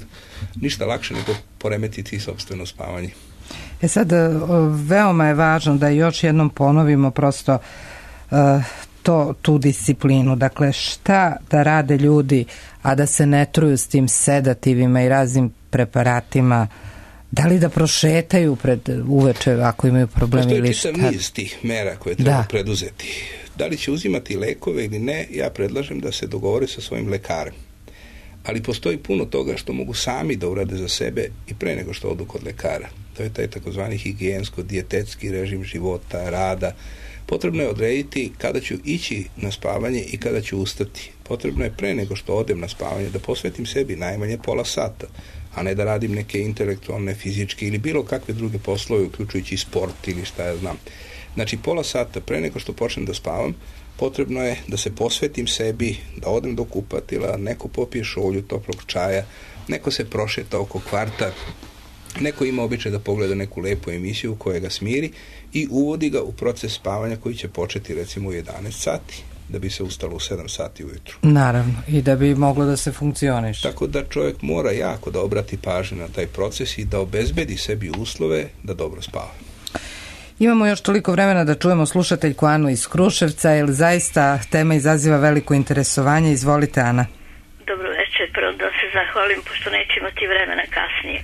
Ništa lakše nego poremetiti sopstveno spavanje. Sad, veoma je važno da još jednom ponovimo prosto tu disciplinu. Dakle, šta da rade ljudi, a da se ne truju s tim sedativima i raznim preparatima? Da li da prošetaju uveče ako imaju problemi ili šta? Postoji čitav niz tih mera koje treba preduzeti. Da li će uzimati lekove ili ne, ja predlažem da se dogovore sa svojim lekarem. Ali postoji puno toga što mogu sami da urade za sebe i pre nego što odu kod lekara. To je taj takozvani higijensko-dijetetski režim života, rada. Potrebno je odrediti kada ću ići na spavanje i kada ću ustati. Potrebno je pre nego što odem na spavanje da posvetim sebi najmanje pola sata, a ne da radim neke intelektualne, fizičke ili bilo kakve druge poslove, uključujući sport ili šta ja znam. Znači, pola sata pre nego što počnem da spavam, potrebno je da se posvetim sebi, da odem do kupatila, neko popije šolju toplog čaja, neko se prošeta oko kvarta, neko ima običaj da pogleda neku lepu emisiju koja ga smiri i uvodi ga u proces spavanja koji će početi recimo u 11 sati, da bi se ustalo u 7 sati ujutru. Naravno, i da bi moglo da se funkcioniše. Tako da čovjek mora jako da obrati pažnju na taj proces i da obezbedi sebi uslove da dobro spava. Imamo još toliko vremena da čujemo slušateljku Anu iz Kruševca, jer zaista tema izaziva veliko interesovanje. Izvolite, Ana. Dobro večer, prvo da se zahvalim, pošto neću imati vremena kasnije.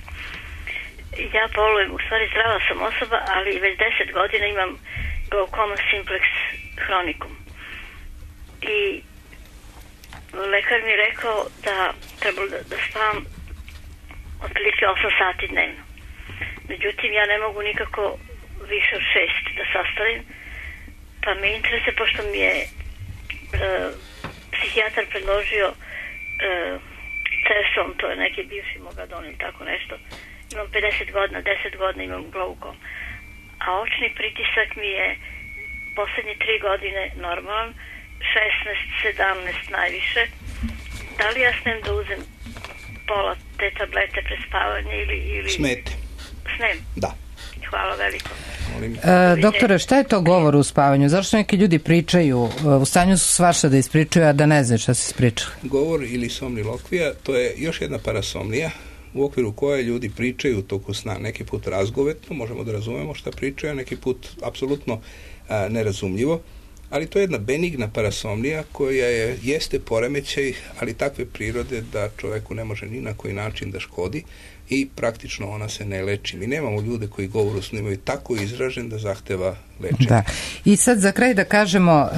Ja bolujem, u stvari zdrava sam osoba, ali već 10 godina imam glaukoma simplex hronikum. I lekar mi je rekao da trebalo da spavam otprilike 8 sati dnevno. Međutim, ja ne mogu nikako više od 6 da sastavim, pa me interesuje, pošto mi je psihijatar predložio CES-om, to je neki bivši Mogadon ili tako nešto. Imam 50 godina, 10 godina imam glaukom. A očni pritisak mi je posljednje 3 godine normalan, 16, 17 najviše. Da li ja snem da uzem pola te tablete pre spavanje ili... Smete. Snem? Da. Hvala veliko. Doktore, šta je to govor u spavanju? Zašto neki ljudi pričaju, u stanju su svašta da ispričaju, a da ne znaju šta se ispričali? Govor ili somnilokvija, to je još jedna parasomnija u okviru koje ljudi pričaju u toku sna. Neki put razgovetno, možemo da razumemo šta pričaju, neki put apsolutno nerazumljivo, ali to je jedna benigna parasomnija koja jeste poremećaj, ali takve prirode da čoveku ne može ni na koji način da škodi i praktično ona se ne leči. Mi nemamo ljude koji govor u snu imaju tako izražen da zahteva lečenje. Da. I sad za kraj da kažemo,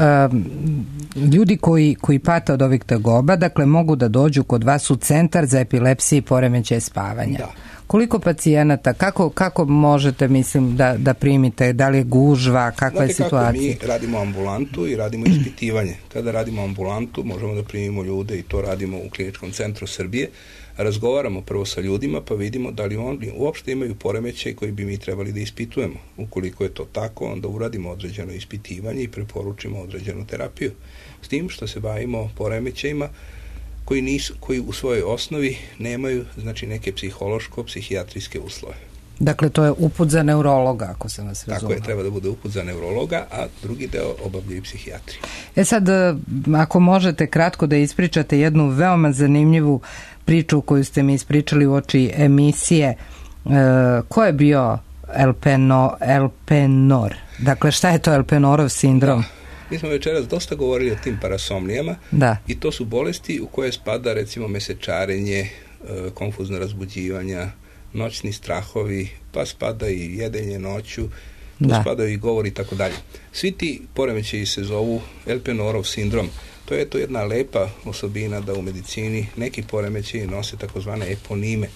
ljudi koji pate od ovih tegoba, dakle mogu da dođu kod vas u centar za epilepsiju i poremećaj spavanja. Da. Koliko pacijenata, kako možete, mislim, da primite, da li je gužva, kakva je situacija? Mi radimo ambulantu i radimo ispitivanje. Kada radimo ambulantu, možemo da primimo ljude i to radimo u Kliničkom centru Srbije. Razgovaramo prvo sa ljudima pa vidimo da li oni uopšte imaju poremećaj koji bi mi trebali da ispitujemo. Ukoliko je to tako, onda uradimo određeno ispitivanje i preporučimo određenu terapiju. S tim što se bavimo poremećajima koji u svojoj osnovi nemaju, znači, neke psihološko-psihijatrijske uslove. Dakle, to je uput za neurologa, ako sam vas razumela. Tako je, treba da bude uput za neurologa, a drugi deo obavljaju psihijatri. Sad, ako možete kratko da ispričate jednu veoma zanimljivu priču koju ste mi ispričali u oči emisije, ko je bio Elpenor? Dakle, šta je to Elpenorov sindrom? Da. Mi smo večeras dosta govorili o tim parasomnijama i to su bolesti u koje spada recimo mesečarenje, konfuzna razbuđivanja, noćni strahovi, pa spada i jedenje noću, spadaju i govori i tako dalje. Svi ti poremećaji se zovu Elpenorov sindrom. To je to jedna lepa osobina da u medicini neki poremećaji nose takozvane eponime.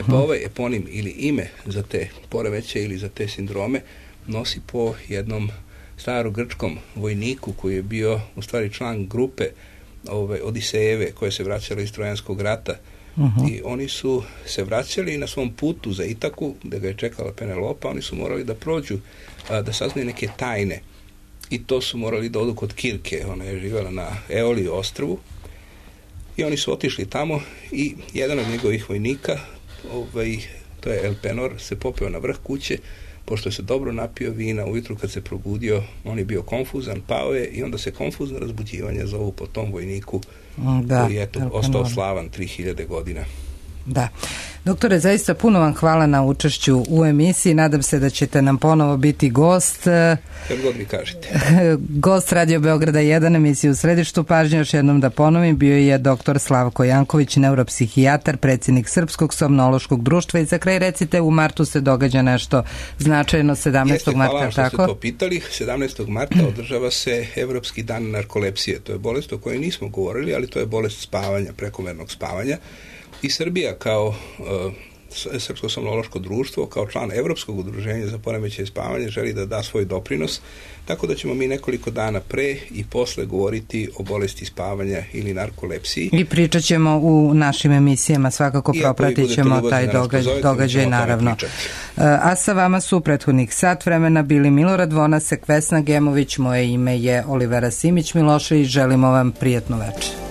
Pa ovaj eponim ili ime za te poremećaje ili za te sindrome nosi po jednom starogrčkom vojniku koji je bio u stvari član grupe Odisejeve koje se vraćale iz Trojanskog rata. I oni su se vraćali na svom putu za Itaku, gde ga je čekala Penelopa, oni su morali da prođu, da saznaju neke tajne. I to su morali da odu kod Kirke, ona je živjela na Eoliju ostrvu. I oni su otišli tamo i jedan od njegovih vojnika, to je Elpenor, se popeo na vrh kuće, pošto se dobro napio vina, ujutru kad se probudio, on je bio konfuzan, pao je i onda se konfuzno razbuđivanje zovu po tom vojniku koji je ostao slavan 3000 godina. Da. Doktore, zaista puno vam hvala na učešću u emisiji. Nadam se da ćete nam ponovo biti gost. Kad god vi kažete. Gost Radio Beograda 1, emisiju u središtu pažnje. Još jednom da ponovim, bio je doktor Slavko Janković, neuropsihijatar, predsjednik Srpskog somnološkog društva. I za kraj recite, u martu se događa nešto značajno 17. marta. Hvala što ste to pitali. 17. marta održava se Evropski dan narkolepsije. To je bolest o kojoj nismo govorili, ali to je bolest spavanja, prekomernog spavanja. I Srbija kao Srpsko somnološko društvo, kao član Evropskog udruženja za poremećaj spavanja želi da da svoj doprinos, tako da ćemo mi nekoliko dana pre i posle govoriti o bolesti spavanja ili narkolepsiji. I pričat ćemo u našim emisijama, svakako propratit ćemo taj događaj naravno. A sa vama su u prethodnih sat vremena bili Milorad Vonasek, Vesna Gemović, moje ime je Olivera Simić Milošević, želimo vam prijatnu večer.